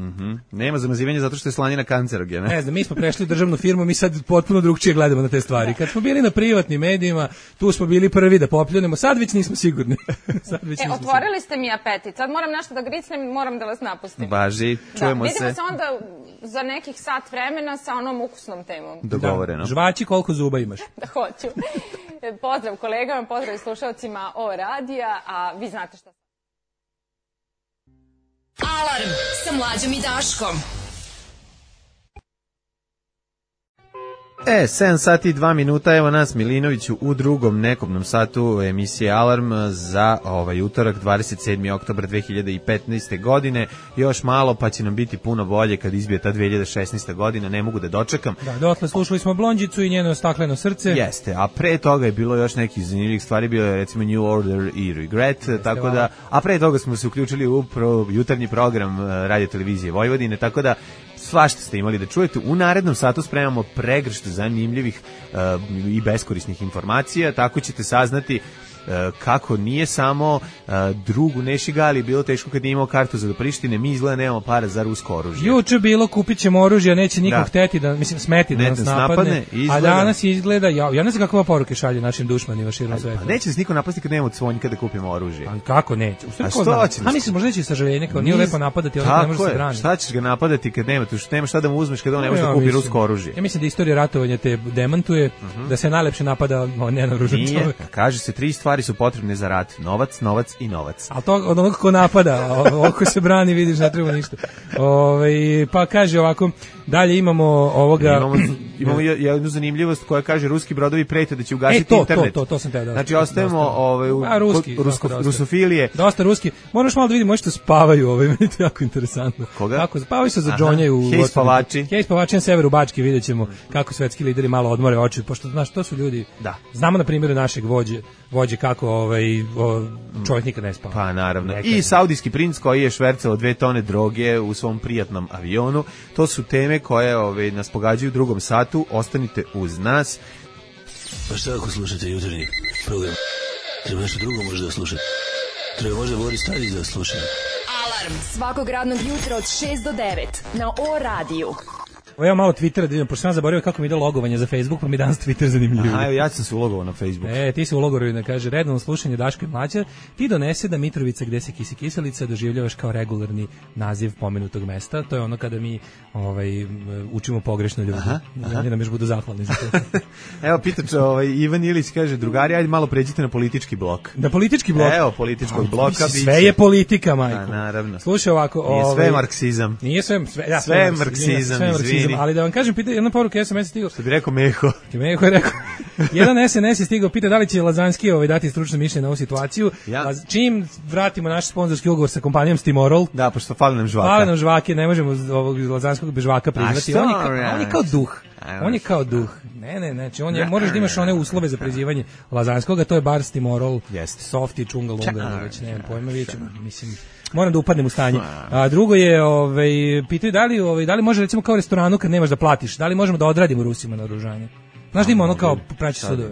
Nema zamazivanja zato što je slanina kancerogena. Ne znam, mi smo prešli u državnu firmu, mi sad potpuno drugčije gledamo na te stvari. Kad smo bili na privatnim medijima, tu smo bili prvi da popljunemo, sad već nismo sigurni. Otvorili ste mi apetit, sad moram nešto da gricnem, moram da vas napustim. Važi, čujemo se. Vidimo se onda za nekih sat vremena sa onom ukusnom temom. Dogovoreno. Žvači, koliko zuba imaš? Da, hoću. Pozdrav kolegama, pozdrav i slušalcima O radija, a vi znate šta... Alarm sa Mlađom i Daškom. 7 sati i 2 minuta, evo nas Milinoviću u drugom nekobnom satu emisije Alarm za utorak 27. oktobar 2015. godine. Još malo pa će nam biti puno bolje kad izbije ta 2016. godina, ne mogu da dočekam. Da, dotle slušali smo Blondžicu i njeno stakleno srce. Jeste, a pre toga je bilo još nekih zanimljivih stvari, bilo je recimo New Order i Regret, tako da, a pre toga smo se uključili u jutarnji program Radio televizije Vojvodine, tako da svašta ste imali da čujete. U narednom satu spremamo pregršt zanimljivih i beskorisnih informacija, tako ćete saznati kako nije samo drugu Nešigali bilo teško kad nije imao kartu za do Prištine, mi izgleda nemamo para za rusko oružje. Juče bilo kupit ćemo oružje, neće niko hteti da, mislim, smeti da nas napadne, a danas izgleda, ja ne znam kakva poruke šalje našim dušmanima širom sveta. Neće nas niko napasti kad nemamo cvonjka da kupimo oružje. A kako neće? A što će? A mislim, možda će sažaljenje, kao nije lepo napadati, on ne može se braniti. Šta ćeš ga napadati kad nema šta da mu uzmeš kad on ne može da kupi rusko oružje? Ja mislim da istorija ratovanja te demantuje, da se najlepše napada nenaoružan čovjek. Kaže se 3 stvari su potrebne za rat: novac, novac i novac. A to od onog ko napada, oko se brani, vidiš, ne treba ništa. Pa kaže ovako, dalje imamo ovoga... Imamo jednu zanimljivost koja kaže ruski brodovi prete da će ugasiti internet. To sam te da. Znači ostajemo rusofilije. Dosta ruski. Moraš malo da vidimo što spavaju, meni je to jako interesantno. Koga? Kako spavaju se za džonjaju. Hej spavači. Hej spavači na severu Bačke, vidjet ćemo kako svetski lideri malo odmore oči, pošto znaš, to su ljudi. Da. Znamo na primjeru našeg vođe kako čovjek nikad ne spava. Pa naravno. I saudijski princ koji je švercao 2 tone droge u svom prijatnom avionu. To su teme koje nas pogađaju u drugom satu. Ostanite uz nas. Pa šta ako slušate jutarnji program? Treba nešto drugo možda da slušate. Treba možda Boris Tadić da slušate. Alarm svakog radnog jutra od 6 do 9 na O radiju. ja malo Twittera da idem, pošto sam zaboravio kako mi ide logovanje za Facebook, pa mi danas Twitter zanimljiviji. Aha, ja sam se ulogovao na Facebook. Ti se ulogovao da kaže redovno slušanje Daško i Mlađa, ti donese da Mitrovica gde se kisi kiselica doživljavaš kao regularni naziv pomenutog mesta. To je ono kada mi učimo pogrešno ljudi. Oni nam još budu zahvalni za to. Evo, pitač, Ivan Ilić kaže, drugari, ajde malo pređite na politički blok. Na politički blok? Evo, političkog bloka. Sve je politika, majko. Naravno. Slušaj ovako. Nije sve marksizam. Nije sve marksizam, izvini. Ali da vam kažem, jedna poruka SMS je stigao. Što bi rekao Meho. Meho je rekao. Jedan SNS je stigao, pita da li će Lazanski dati stručno mišljenje na ovu situaciju. Čim vratimo naš sponzorski ugovor sa kompanijom Stimorol. Da, pošto fali nam žvaka. Fali nam žvake, ne možemo ovog Lazanskog bez žvaka priznati. On je kao duh. On je kao duh. Ne, znači moraš da imaš one uslove za prizivanje Lazanskog, a to je bar Stimorol, soft i čunga lunga, već nemam pojma, mislim, moram da upadnem u stanje. A drugo je, pitaju da li može recimo kao u restoranu kad nemaš da platiš, da li možemo da odradimo Rusima na oružanje? Znaš da ima ono kao praći sudove,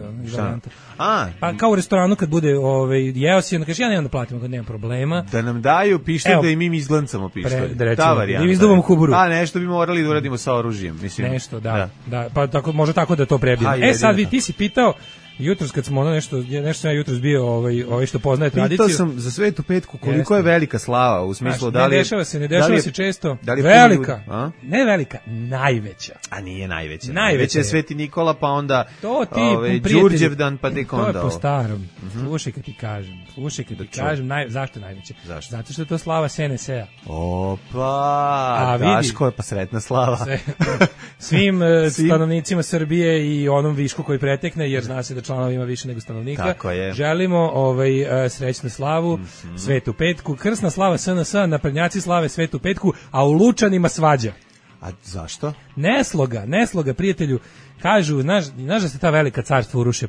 pa kao u restoranu kad bude jeo si, onda kaže ja nemam da platim, kad nemam problema. Da nam daju pištolj da i mi izglancamo pištolj. Ta varijanta. I izduvamo kuburu. A nešto bi morali da uradimo sa oružjem. Nešto, da. Pa može tako da to prebijemo. Sad ti si pitao, jutros kad smo nešto sam ja jutros bio što poznaje tradiciju. Pitao sam za Svetu petku koliko je velika slava, u smislu da li ne dešava se često. Velika. Ne velika, najveća. A nije najveća. Najveća je Sveti Nikola, pa onda Đurđevdan, pa tek onda. To je po starom. Slušaj kad ti kažem, zašto najveća? Zato što je to slava SNS-a. Opa, Daško je pa sretna slava. Svim stanovnicima Srbije i onom višku koji pretekne, jer zna se da članova ima više nego stanovnika. Želimo srećnu slavu, Svetu petku, krsna slava SNS, naprednjaci slave Svetu petku, a u Lučanima svađa. A zašto? Nesloga, prijatelju. Kažu, znaš da se ta velika carstva uruše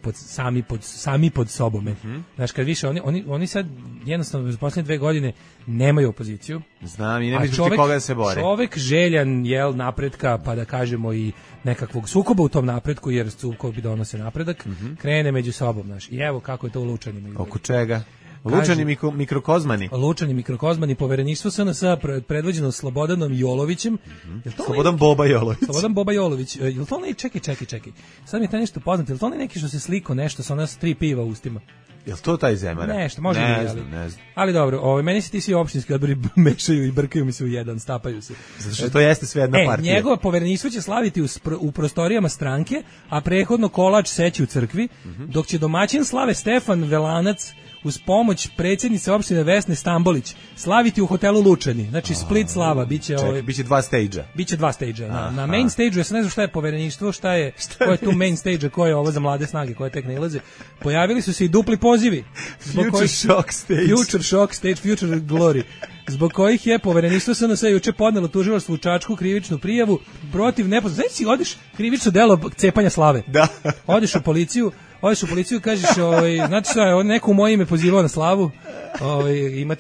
sami pod sobom. Znaš, kad više, oni sad jednostavno za posljednje 2 godine nemaju opoziciju. Znam, i ne misliš koga da se bore. Čovek željan, napretka, pa da kažemo i nekakvog sukoba u tom napretku, jer sukobi donose napredak, krene među sobom, znaš. I evo kako je to u Lučanima. Oko čega? Lučani mikrokozmani. Lučani mikrokozmani, povereništvo SNS predvođeno Slobodanom Jolovićem. Slobodan Boba Jolović. Slobodan Boba Jolović. Jel to onaj, čekaj. Sad mi je taj nešto poznato. Jel to onaj neki što se sliko nešto sa nas 3 piva u ustima? Jel to taj Zemara? Nešto, može ne znam. Ali dobro, meni se ti svi opštinski odbori mešaju i brkaju mi se u jedan, stapaju se. Zato što to jeste sve jedna partija. Njegovo povereništvo će slaviti u prostorijama stranke, a prethodno kolač seći u crkvi, dok će domaćin slave Stefan Velanac uz pomoć predsjednice opštine Vesne Stambolić slaviti u hotelu Lučani. Znači Split slava, biće biće 2 stage-a. Biće 2 stage-a. Na main stage-u, ja se ne znam šta je povereništvo, ko je tu main stage-a, ko je ovo za mlade snage koje tek ne ilaze. Pojavili su se i dupli pozivi. Future shock stage, future glory. Zbog kojih je povereništvo SNS juče podnelo tužilaštvu u Čačku krivičnu prijavu protiv nepoznatog. Znači odeš krivično delo cepanja slave. Da. Odeš u policiju, kažeš, znate šta, neko u moje ime pozivao na slavu,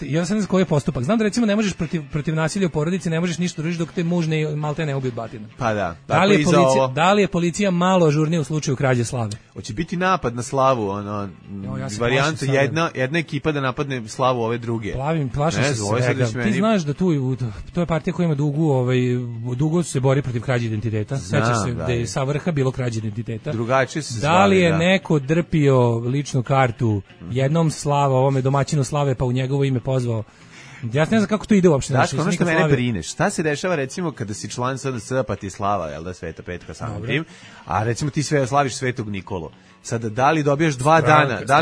ja sam ne znam koji je postupak. Znam da recimo ne možeš protiv nasilja u porodici, ne možeš ništa družiti dok te muž malte ne ubije od batina. Pa da. Da li je policija malo ažurnija u slučaju krađe slave? Hoće biti napad na slavu, varijanta jedna ekipa da napadne slavu ove druge. Plašim se svega. Ti znaš da to je partija koja ima dugo se bori protiv krađe identiteta. Sećaš se da je sa vrha bilo krađe identiteta. Drugačije se da li je neko drpio ličnu kartu jednom ovome domaćinu slave, pa u njegovo ime pozvao? Ja ne znam kako to ide uopšte. Daško, ono što mene brine, šta se dešava recimo kada si član SNS pa ti slava, jel da, Sveta petka samim tim, a recimo ti sve slaviš Svetog Nikolu. Sada, da li dobijaš 2 dana, da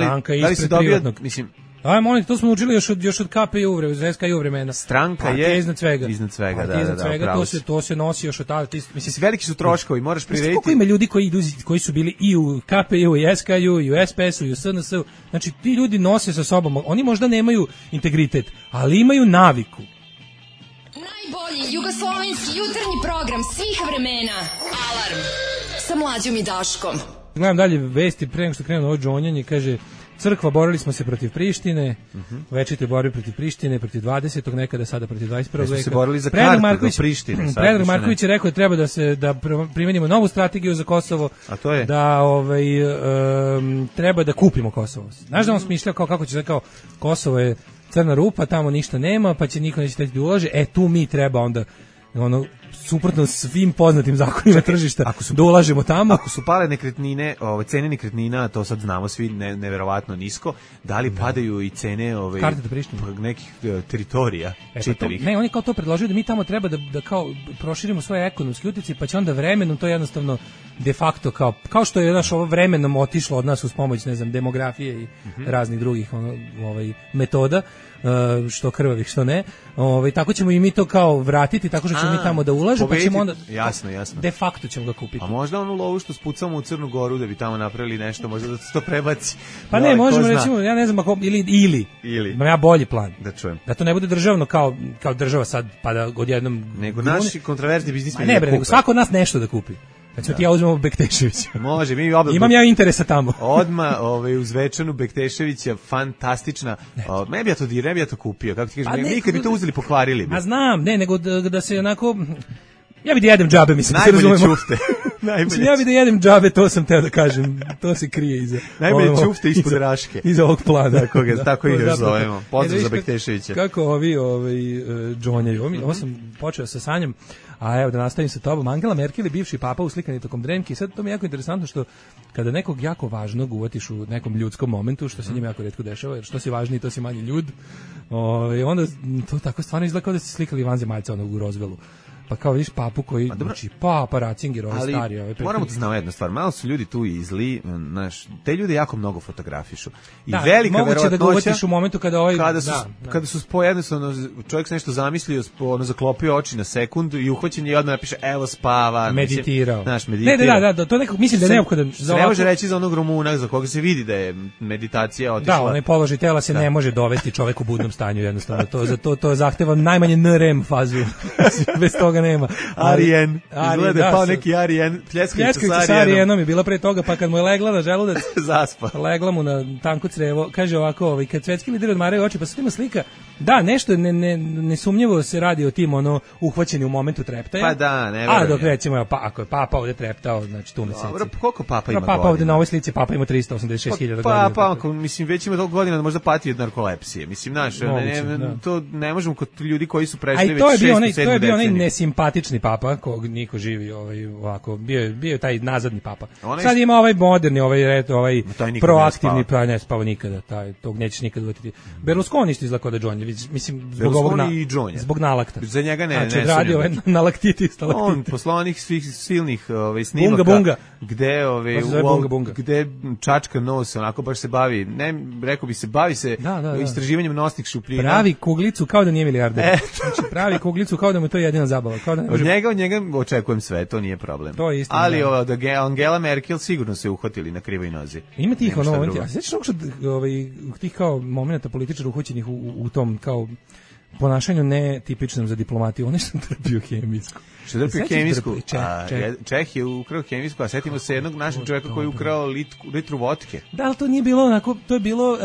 li si dobio, mislim, Aj, molim, to smo učili još od KPI vremena. Stranka je iznad svega. Iznad svega, to se nosi još od tada. Mislim, veliki su troškovi, moraš prirediti. Koliko ima ljudi koji su bili i u KPI-u, i SKI-u, i u SPS-u, i u SNS-u. Znači, ti ljudi nose sa sobom. Oni možda nemaju integritet, ali imaju naviku. Najbolji jugoslovenski jutarnji program svih vremena. Alarm sa Mlađom i Daškom. Gledam dalje vesti, pre nego što krenu ovo džonjanje, kaže... Crkva, borili smo se protiv Prištine, večite borbi protiv Prištine, protiv 20. nekada, sada protiv 21. veka. Smo se borili za kartu do Prištine. Predrag Marković je rekao da treba da primenimo novu strategiju za Kosovo, a to je? Da treba da kupimo Kosovo. Znaš da on smišljao kako će se kao Kosovo je crna rupa, tamo ništa nema, pa će niko neće da ulaže, tu mi treba onda ono suprotno svim poznatim zakonima tržišta da ulažemo tamo. Ako su pale nekretnine, cene nekretnina, to sad znamo svi neverovatno nisko, da li padaju i cene nekih teritorija čitavih? Ne, oni kao to predložili da mi tamo treba da kao proširimo svoje ekonomske utjecaj, pa će onda vremenom to jednostavno de facto kao što je naš ovo vremenom otišlo od nas uz pomoć, ne znam, demografije i raznih drugih metoda, što krvavih, što ne. Tako ćemo i mi to kao vratiti, tako što ćemo mi tamo da ulažemo, pa ćemo onda jasno. De facto ćemo ga kupiti. A možda onu lovu što spucamo u Crnu Goru da bi tamo napravili nešto, možda da se to prebaci. Pa ne, možemo recimo, ja ne znam ako ili. Imam ja bolji plan. Da čujem. Da to ne bude državno kao država sad pa da odjednom nego naši kontraverzni biznismeni. Ne bre, nego svako od nas nešto da kupi. Znači ja uzmemo Bekteševića. Može, imam ja interesa tamo. Odma uz Večanu Bekteševića, fantastična. Ne bi ja to kupio, kako ti kažeš, nikad bi to uzeli pokvarili bi. A znam, nego da se onako ja bi da jedem džabe, mislim. Najbolje čufte. Ja bi da jedem džabe, to sam teo da kažem. To se krije iza. Najbolje čufte ispod Raške. Iza ovog plana. Tako i još zovemo. Pozdrav za Bekteševića. Kako ovi džonjaju. Ovo sam počeo sa sanjom. A evo da nastavim sa tobom. Angela Merkel je bivši papa uslikani tokom Dremki. Sad to mi je jako interesantno što kada nekog jako važnog uvatiš u nekom ljudskom momentu, što se njima jako retko dešava, jer što si važniji, to si manje ljud. Onda to tako stvarno izgleda kao da ste slikali vanzemaljca u Rozvelu. Pa kao vidiš papu koji, znači Papa Ratzinger, ovaj stari. Moramo da znamo jednu stvar, malo su ljudi tu i zli, te ljude jako mnogo fotografišu. I da, velika moguće da ga uvatiš u momentu kada kada su jednostavno, čovjek se nešto zamislio, zaklopio oči na sekund i uhvaćen je odmah napiše, evo spava. Meditirao. Meditirao. Da, to nekako, mislim da je neophodan. Ne može reći za onog Rumuna, za koga se vidi da je meditacija otišla. Da, onaj položaj tela se ne može dovesti čovek u budnom stanju, jednostavno. To zahteva najmanje NREM fazu. Bez toga nema. Arijen. Izgleda pa neki Arijen. Pljeskavica sa Arijenom je bila pre toga, pa kad mu je legla na želudac, zaspa. Legla mu na tanko crevo. Kaže ovako, kad svetski lideri odmaraju oči, pa se ima slika. Da, nešto nesumnjivo se radi o tim uhvaćeni u momentu treptaja. Pa da, ne verujem. A dok recimo, ako je Papa ovde treptao, znači tu meseci. Dobro, koliko Papa ima godina? Papa ovde na ovoj slici, Papa ima 386.000 godina. Papa, mislim, već ima toliko godina da možda pati od narkolepsije. Mislim, znaš, to ne možemo kod ljudi koji su prešli već 6. 7. To je bio onaj nesimpatični Papa, kog niko živi ovako, bio je taj nazadni Papa. Sad ima ovaj moderni, ovaj proaktivni, pa ne spava nikada, tog nećeš nikad uvjetiti. Berlusconi isto izlako da Džonje, mislim, zbog nalakta. Za njega ne sumnjam. Znači, radio na laktitis. On poslao onih silnih snimaka, gde čačka nos, onako baš se bavi, rekao bi se, bavi se istraživanjem nosnih šupljina. Pravi kuglicu kao da nije milijarder. Znači, pravi kuglicu kao da mu to je jedina zabava. Od njega očekujem sve, to nije problem. To je istina. Ali Angela Merkel sigurno se uhvatili na krivoj nozi. Ima tih a sećaš tih kao momenta političara uhoćenih u tom kao ponašanju netipičnom za diplomatiju, on je što trpio hemijsku. Što trpio hemijsku? Čeh je ukrao hemijsku, a setimo se jednog našeg čovjeka koji je ukrao litru vodke. Da, ali to nije bilo onako, to je bilo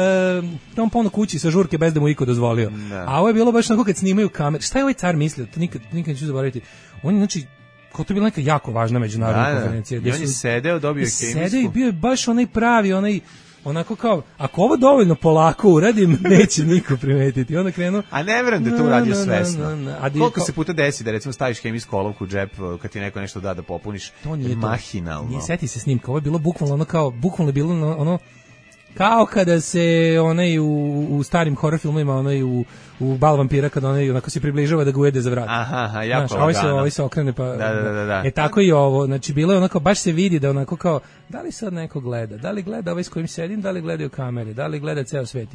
on polno kući sa žurke bez da mu iko dozvolio. A ovo je bilo baš onako kad snimaju kamere. Šta je ovaj car mislio? To nikad neću zaboraviti. On je, znači, kao to je bila neka jako važna međunarodna konferencija. I on je sedeo, dobio hemijsku. Sedeo i bio je baš onaj pravi, onako kao, ako ovo dovoljno polako uradim, neće niko primetiti. Onda krenu... A ne verujem da to uradio svesno. Koliko se puta desi da recimo staviš hemijsku olovku u džep kad ti neko nešto da pompuniš? To nije mahinalno. Nije, seti se snimka, ovo je bilo bukvalno bukvalno je bilo kao kada se u starim horror filmovima u Bal vampira kad onako se približava da ga ujede za vrat. Aha, jako lagano. Ovaj se okrene pa... Da. Tako i ovo, znači bilo je onako, baš se vidi da onako kao, da li sad neko gleda, da li gleda ovaj s kojim sedim, da li gledaju kamere, da li gleda ceo svet.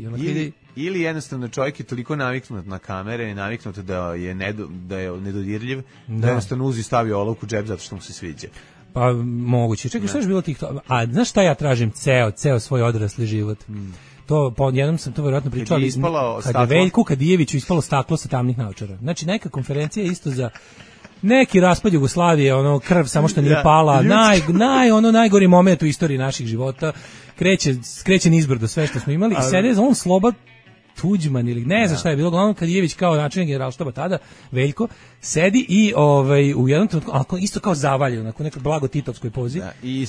Ili jednostavno čovjek je toliko naviknut na kamere, naviknut da je nedodirljiv, da jednostavno uzi stavi olovku u džep zato što mu se sviđa. Pa moguće. Čekaj, šta je bilo tih to? A znaš šta ja tražim ceo svoj odrasli život? To jednom sam to verovatno pričao, kad je Veljku Kadijeviću ispalo staklo sa tamnih naočara. Znači neka konferencija isto za neki raspad Jugoslavije, krv samo što nije pala, najgori moment u istoriji naših života, kreće nizbrdo sve što smo imali i sede on Tuđman ili ne znam šta je bilo, uglavnom Kadijević kao načelnik Generalštaba tada, Veljko, sedi i u jednom trenutku, isto kao zavaljen, onako nekoj blago titovskoj pozi, i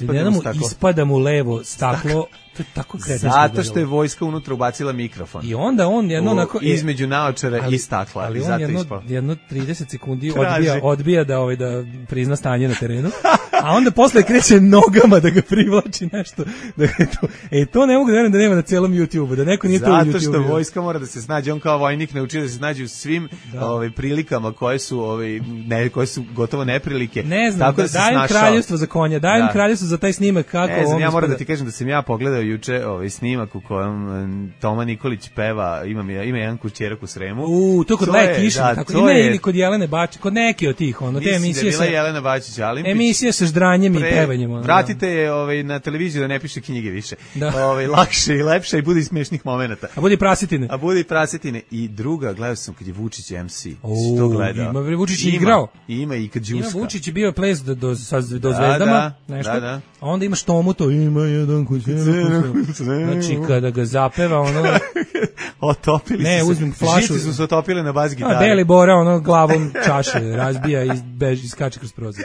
ispada mu levo staklo, to je tako kretensko. Zato što je vojska unutra ubacila mikrofon. I onda on jedno onako... Između naočara i stakla. Ali on jedno 30 sekundi odbija da prizna stanje na terenu, a onda posle kreće nogama da ga privlači nešto. To ne mogu da verujem da nema na celom YouTube-u, da neko nije to u YouTube-u. Zato što vojska mora da se snađe, on kao vojnik naučio da se snađe u svim prilikama koje su gotovo neprilike. Ne znam, dajem kraljevstvo za konja, dajem kraljevstvo za taj snimak kako on... Ne znam, ja moram da ti kažem da sam ja pogledao juče snimak u kojem Toma Nikolić peva, ima jedan kućerak u Sremu. To kod Leje Kišin, tako ima ili kod Jelene Bačić, kod neke od tih, te emisije sa... Jelena Bačić, Alimpić. Emisije sa ždranjem i pevanjem. Vratite je na televiziju da ne piše knjige više. Lakše i lepše i bude i smešnih momenata. A bude i prasetine. I druga, gledao sam kad je Vučić MC. Si to gledao? Vučić je igrao. Ima i kad Đuska. Ima Vučić je bio ples do Zvezdama, nešto. A onda imaš Tomu, to ima jedan kućerak. Znači, kada ga zapeva, otopili ne, su uzmem flašu. Žici su se otopile na bas gitari. Deli Bora, glavom čaše razbija i beži, skače kroz prozor.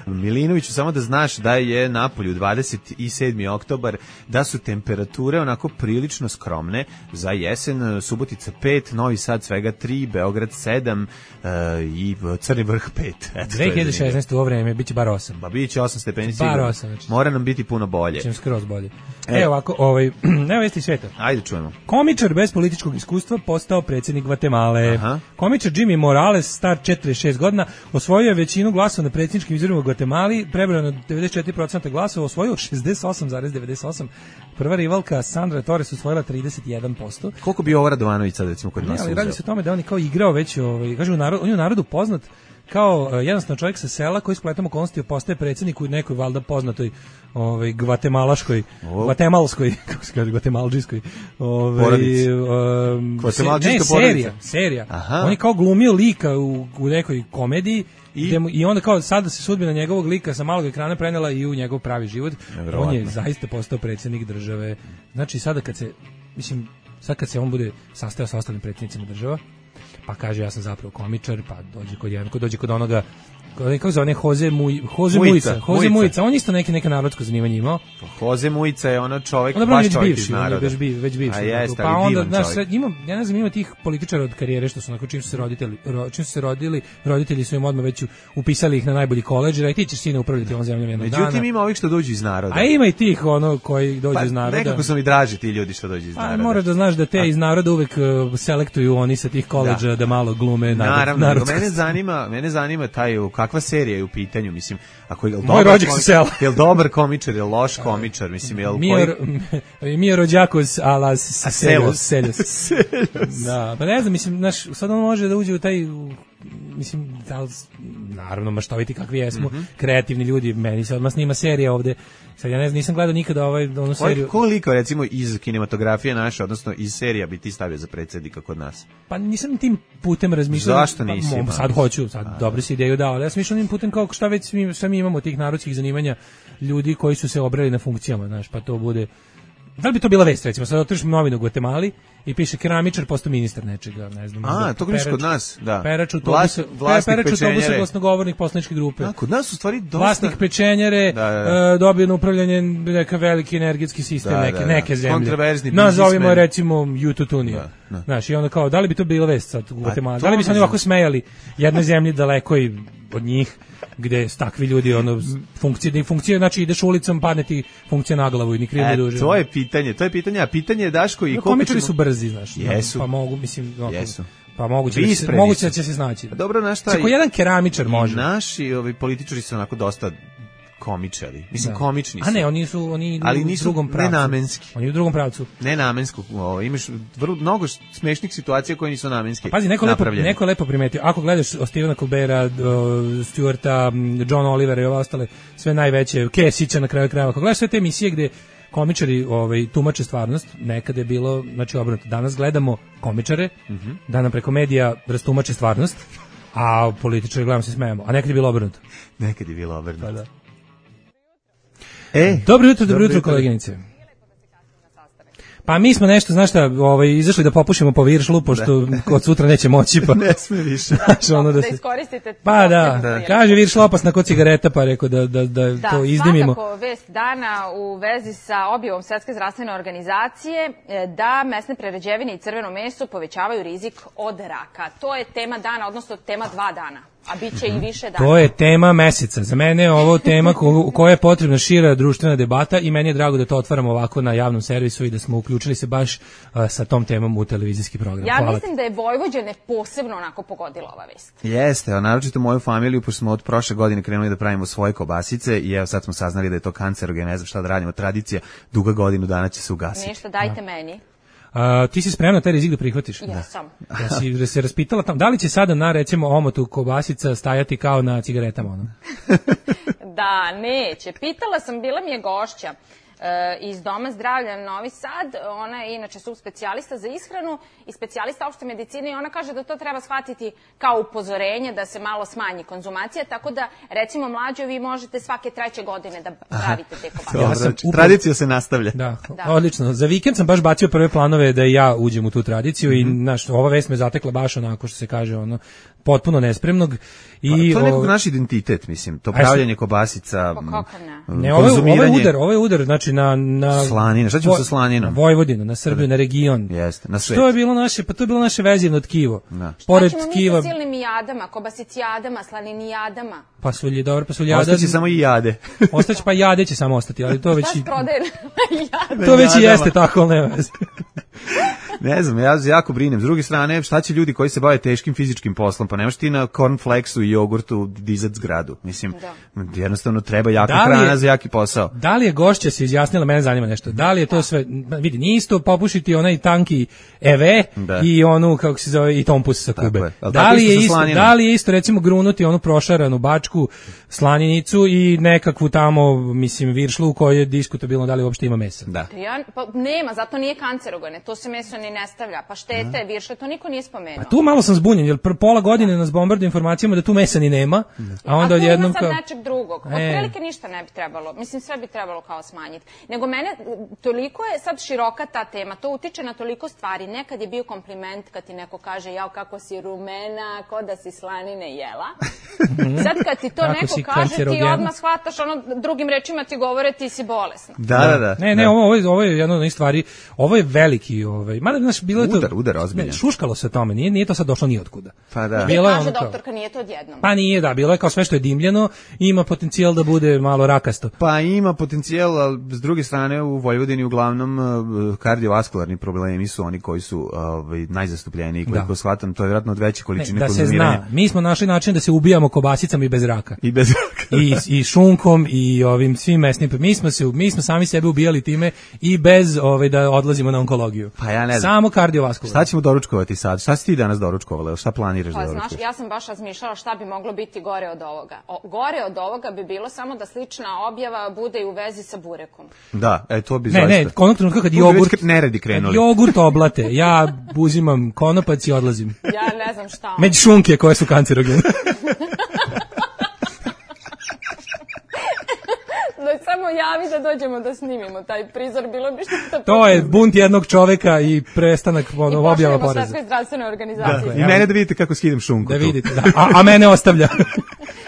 Milinoviću, samo da znaš da je napolju 27. oktobar, da su temperature onako prilično skromne za jesen. Subotica 5, Novi Sad svega 3, Beograd 7 i Crni Vrh 5. 2016. u ovo vreme biće bar 8. Ba biće 8 stepeni sigurno. Bar 8. Znači. Mora nam biti puno bolje. Čim skroz bolje. Evo ovako, evo vesti sveta. Ajde čujemo. Komičar bez političkog iskustva postao predsjednik Gvatemale. Komičar Jimmy Morales, star 46 godina, osvojio je većinu glasova na predsjedničkim izborima u Gvatemali, prebrao na 94% glasova, osvojio 68,98%. Prva rivalka Sandra Torres osvojila 31%. Koliko bi ovo Radovanović sad recimo kod nas uzeo? Ali radi se o tome da on je kao igrao već, kaže on je u narodu poznat kao jednostavno čovjek sa sela koji spletom okolnosti postaje predsjednik u nekoj valjda poznatoj gvatemalskoj, kako se kaže, gvatemalđijskoj serija. On je kao glumio lika u nekoj komediji i onda kao sada se sudbina njegovog lika sa malog ekrana prenela i u njegov pravi život. On je zaista postao predsjednik države. Znači sada kad se on bude sastajao sa ostalim predsjednicima država, pa kaže ja sam zapravo komičar, pa dođe kod onoga, kako zove, Jose Mujica, on isto neka narodsko zanimanje imao. Jose Mujica je ono čovjek, baš čovjek iz naroda. Već bivši. Pa onda, ja ne znam, ima tih političara od karijere što su onako, čim su se rodili, roditelji su im odmah već upisali ih na najbolji koledž, i ti ćeš sine upravljati ovom zemljom jednog dana. Međutim, ima ovih što dođu iz naroda. A ima i tih koji dođu iz naroda. Nekako su mi draži ti ljudi što dođu iz naroda. Moraš da znaš da te iz naroda uvek selektuju oni sa tih koledža da malo glume. Naravno, mene zanima taj kakva serija je u pitanju, mislim, ako je moj rođak sa sela. Je li dobar komičar, je li loš komičar, mislim, je li Mio rođakos alas Seljos. Da, pa ne znam, mislim, sad on može da uđe u taj, mislim, naravno maštoviti kakvi jesmo, kreativni ljudi, meni se odmah snima serija ovde. Sad ja ne znam, nisam gledao nikada onu seriju. Koliko recimo iz kinematografije naše, odnosno iz serija bi ti stavio za predsjednika kod nas? Pa nisam tim putem razmišljao. Zašto nisi? Sad hoću, dobro si ideju dao, ali ja sam mišljao tim putem kao šta već mi imamo tih narodskih zanimanja, ljudi koji su se obrali na funkcijama, znaš, pa to bude... Da li bi to bila vest, recimo, sad otriš novinu u Gvatemali i piše keramičar postao ministar nečega, ne znam. To gledaš kod nas, da. Perač autobusa glasnogovornik poslaničke grupe. Kod nas u stvari dosta... Vlasnik pečenjere, dobio na upravljanje neka veliki energetski sistem neke zemlje. Kontroverzni biznismen. Nazovimo recimo Jututunija. Znaš, i onda kao, da li bi to bila vest sad u Gvatemali? Da li bi se oni ovako smejali jednoj zemlji daleko i od njih, gde takvi ljudi funkcije, znači ideš ulicom, padne ti funkcija na glavu i ni krivo duže. To je pitanje, a pitanje je Daško i komičari su brzi, znaš. Jesu. Pa mogu, mislim, jesu. Pa moguće da će se snaći. Dobro, znaš šta? Ako jedan keramičar može. Naši političari su onako dosta komičari. Mislim, komični su. A ne, oni idu u drugom pravcu. Nenamenski. Oni u drugom pravcu. Nenamensko. Imaš mnogo smešnih situacija koje nisu namenske. Pazi, neko lepo primetio. Ako gledaš Stevena Colberta, Stewarta, John Olivera i ove ostale, sve najveće, Kesića na kraju krajeva. Ako gledaš sve te emisije gde komičari tumače stvarnost, nekada je bilo, znači obrnuto. Danas gledamo komičare, da nam preko medija rastumače stvarnost, a političari gledamo se smejemo. A nekad je bilo obrnuto. Pa da. Dobro jutro, koleginice. Pa mi smo nešto, znaš šta, izašli da popušimo po Viršlu, pošto od sutra neće moći, pa ne sme više. Da iskoristite. Pa da. Kaže Viršla opasna kod cigareta, pa rekao da to izdimimo. Svakako vest dana u vezi sa objavom Svetske zdravstvene organizacije da mesne prerađevine i crveno meso povećavaju rizik od raka. To je tema dana, odnosno tema 2 dana. A bit će i više dana. To je tema meseca. Za mene je ovo tema koja je potrebna šira društvena debata i meni je drago da to otvaramo ovako na javnom servisu i da smo uključili se baš sa tom temom u televizijski program. Ja mislim da je Vojvođane posebno onako pogodila ova vest. Jeste, a naročito moju familiju, pošto smo od prošle godine krenuli da pravimo svoje kobasice i evo sad smo saznali da je to kancerogen, ne znam šta da radimo, tradicija, duga godinu dana će se ugasiti. Ništa, dajte meni. Ti si spremna taj rizik da prihvatiš? Jesam. Ja si se raspitala tamo, da li će sada na recimo omotu kobasica stajati kao na cigaretama? Ono? Da, neće. Pitala sam, bila mi je gošća iz Doma zdravlja Novi Sad, ona je inače subspecijalista za ishranu i specijalista opšte medicine i ona kaže da to treba shvatiti kao upozorenje da se malo smanji konzumacija, tako da recimo mlađo vi možete svake 3. godine da pravite te kobasice. Tradicija se nastavlja. Da, odlično. Za vikend sam baš bacio prve planove da ja uđem u tu tradiciju i ova vest me zatekla baš onako što se kaže potpuno nespremnog. I to je nekog naš identitet, mislim, to pravljanje kobasica, konzumiranje. Ovo je udar, znači na slanine, šta ćemo sa slaninom? Vojvodinu, na Srbiju, na region. Jeste, na svet. To je bilo naše vezivno tkivo. Šta ćemo mi sa silnim jadama, kobasicijadama, slaninijadama? Pasulji. Ostaće samo i jade. Ostaće, pa jade će samo ostati, ali to već i... jade? To već i jeste tako, ali nema veze. Ne znam, ja jako brinem. S druge strane, šta će ljudi koji se bave teškim fizičkim poslom? Pa nemaš ti na cornflakesu i jogurtu dizat zgradu. Mislim, jednostavno treba jaka hrana za jaki posao. Da li je gošća se izjasnila, mene zanima nešto, da li je to sve, vidi, nije isto popušiti onaj tanki EV i onu, kako se zove, i tompus sa Kube. Da li je isto, recimo, grunuti onu prošaranu bačku slaninicu i nekakvu tamo, mislim, viršlu u kojoj je diskutabilno da li uopšte ima mesa? Da. Pa nema, zato nije kancerogene, to se meso ne stavlja, pa štete je viršle, to niko nije spomenuo. Pa tu malo sam zbunjen, jer pola godine nas bombarduju informacijama da tu mesa ni nema, a onda odjednom kao... A tu ima sad nečeg drugog, otprilike ništa ne bi trebalo, mislim sve bi trebalo kao smanjiti. Nego mene, toliko je sad široka ta tema, to utiče na toliko stvari, nekad je bio kompliment kad ti neko kaže, jao kako si rumena, ko da si slanine jela. Sad kad ti to neko kaže, ti odmah shvataš, drugim rečima ti govore ti si bolesna. Da. Ne, ovo je jedna od onih stvari, ovo je veliki, mada znaš, bilo je to... Udar, ozbiljan. Šuškalo se o tome, nije to sad došlo ni otkuda. Pa da. Kaže doktorka, nije to odjednom. Pa nije, da, bilo je kao sve što je dimljeno, ima potencijal da bude malo rakasto. Pa ima potencijal, ali s druge strane u Vojvodini uglavnom kardiovaskularni problemi su oni koji su najzastupljeniji, koliko shvatam, to je vjerojatno od veće količine konzumiranja. Da se zna, mi smo našli način da se ubijamo kobasicama i bez raka. I bez raka. I šunkom i ovim svim mesnim. Mi smo sami sebe ubijali time i bez da odlazimo na onkologiju. Pa ja ne znam. Samo kardiovaskularno. Šta ćemo doručkovati sad? Šta si ti danas doručkovala? Šta planiraš da doručkuješ? Znaš, ja sam baš razmišljala šta bi moglo biti gore od ovoga. Gore od ovoga bi bilo samo da slična objava bude i u vezi sa burekom. Da, to bi zaista. Ne, onog trenutka kad jogurt neredi krenuli. Jogurt oblate, ja uzimam konopac i odlazim. Ja ne znam šta. Među šunke koje su kancerogene. Samo javi da dođemo da snimimo taj prizor, bilo bi što... To je bunt jednog čoveka i prestanak objava poreza. I pošaljemo Svetskoj zdravstvenoj organizaciji. I mene da vidite kako skidam šunku. Da vidite, da. A mene ostavlja.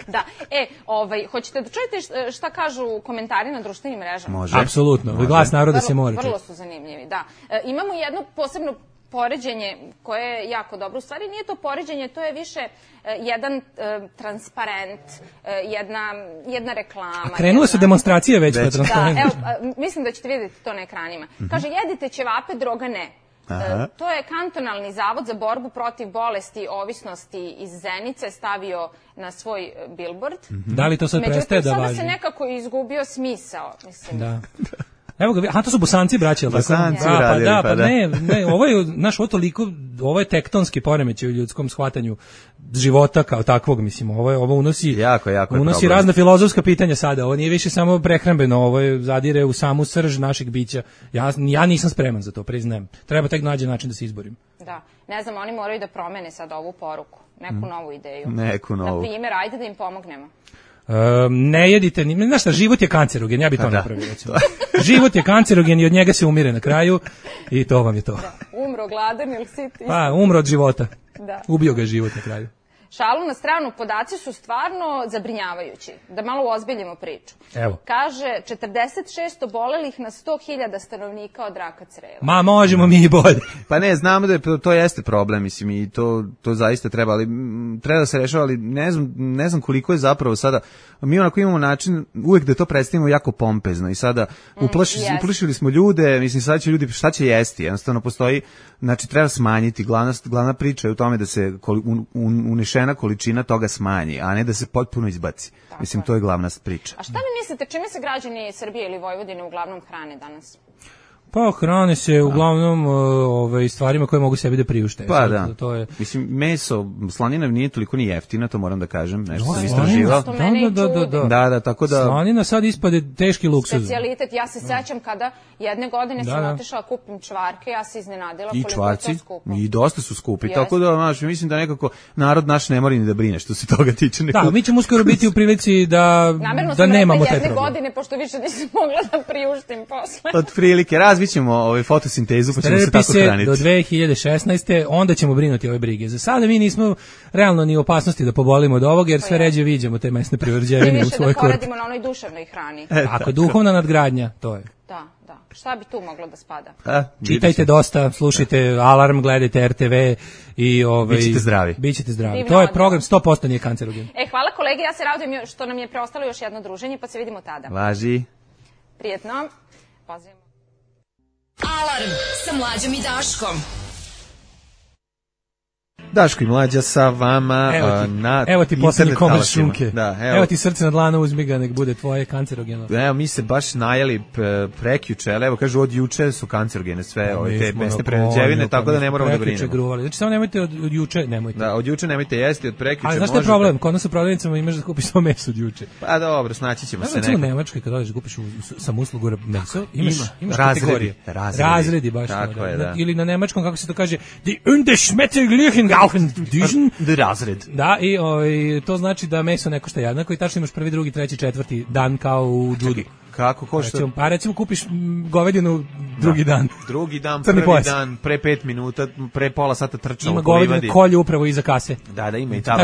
Da, hoćete da čujete šta kažu komentari na društvenim mrežama? Može. Apsolutno, glas naroda se mora čuti. Vrlo su zanimljivi, da. Imamo jedno posebno poređenje koje je jako dobro. U stvari nije to poređenje, to je više jedan transparent, jedna reklama. A krenule su demonstracije već po transparentu. Da, evo, mislim da ćete vidjeti to na ekranima. Kaže, jedite ćevape, droga ne. To je kantonalni zavod za borbu protiv bolesti ovisnosti iz Zenice stavio na svoj billboard. Da li to sad prestaje da važi? Međutim, sada se nekako izgubio smisao, mislim. Da. Evo ga, to su Bosanci braće, Bosanci radili, pa ne, ovo je, znaš, ovo je tektonski poremećaj u ljudskom shvatanju života kao takvog, mislim, ovo unosi jako unosi razna filozofska pitanja sada, ovo nije više samo prehrambeno, ovo je zadire u samu srž našeg bića. Ja nisam spreman za to, priznajem. Treba tek nađe način da se izborim. Da, ne znam, oni moraju da promene sad ovu poruku, neku novu ideju. Neku novu. Na primjer, ajde da im pomognemo. Ne jedite, znaš šta, život je kancerogen, ja bih to napravio. Život je kancerogen i od njega se umire na kraju i to vam je to. Da. Umro gladan ili sit? Pa, umro od života. Da. Ubio ga je život na kraju. Šalu na stranu, podaci su stvarno zabrinjavajući. Da malo uozbiljimo priču. Evo. Kaže, 46 obolelih na 100.000 stanovnika od raka creva. Ma, možemo mi i bolje. Pa ne, znamo da to jeste problem, mislim, i to zaista treba, ali treba da se rešava, ali ne znam koliko je zapravo sada, mi onako imamo način, uvek da to predstavimo jako pompezno i sada uplašili smo ljude, mislim, sada će ljudi, šta će jesti, jednostavno postoji, znači treba smanjiti, glavna priča je u tome da se unešena količina toga smanji, a ne da se potpuno izbaci. Tako mislim, to je glavna priča. A šta vi mislite, čime se građani Srbije ili Vojvodine uglavnom hrane danas? Pa hrane se uglavnom stvarima koje mogu sebi da priušte. Pa da. To je... Mislim, meso, slanina nije toliko ni jeftina, to moram da kažem. Nešto sam istraživao. Da, tako da... Slanina sad ispade teški luksuz. Specijalitet, ja se sećam kada jedne godine sam otišla kupim čvarke, ja se iznenadila koliko je to skupo. I dosta su skupi, tako da, znaš, mislim da nekako narod naš ne mora ni da brine što se toga tiče. Da, mi ćemo uskoro biti u prilici da nemamo taj problem. Jedne godine, pošto više nisam mogla da priuštim posle. Od prilike, razvićemo fotosintezu, pa ćemo se tako hraniti. Do 2016. onda ćemo brinuti ove brige. Za sada mi nismo realno ni u opasnosti da pobolimo od ovoga, jer sve ređe viđamo te mesne privređevine u svoj korpi. Mi više da poradimo na onoj duševnoj hrani. Ako duhovna nadgradnja, to je. Da. Šta bi tu moglo da spada? Čitajte dosta, slušajte Alarm, gledajte RTV i Bićete zdravi. To je program 100% nije kancerogen. Hvala kolege, ja se radujem što nam je preostalo još jedno druženje, pa se vidimo tada. Važi. Prijetno. Pozivamo. Alarm sa Mlađom i Daškom. Daško i Mlađa sa vama na evo ti poslednji komad šunke. Da, evo ti srce na dlanu, uzmi ga, nek bude tvoje kancerogeno. Evo, mi se baš najeli prekjuče, ali evo kažu od juče su kancerogene sve te mesne prerađevine, tako da ne moramo da brinemo. Znači samo nemojte od juče, nemojte. Da, od juče nemojte jesti, od prekjuče možete. Ali znaš šta je problem? Kod nas u prodavnicama imaš da kupiš samo meso od juče. Pa dobro, snaći ćemo se nekako. U Nemačkoj kad odeš da kupiš sam uslugu meso, imaš kategorije. Razredi baš. Ili na nemačkom, kako se to kaže, die ungeschmettlichen Gauchendüsen. Razred. Da, i to znači da meso ne košta jednako i tačno imaš prvi, drugi, treći, četvrti dan kao u judu. Kako košta? Recimo kupiš govedinu drugi dan. Drugi dan, prvi dan, pre 5 minuta, pre pola sata trčao. Ima govedinu kolju upravo iza kase. Da, ima i ta.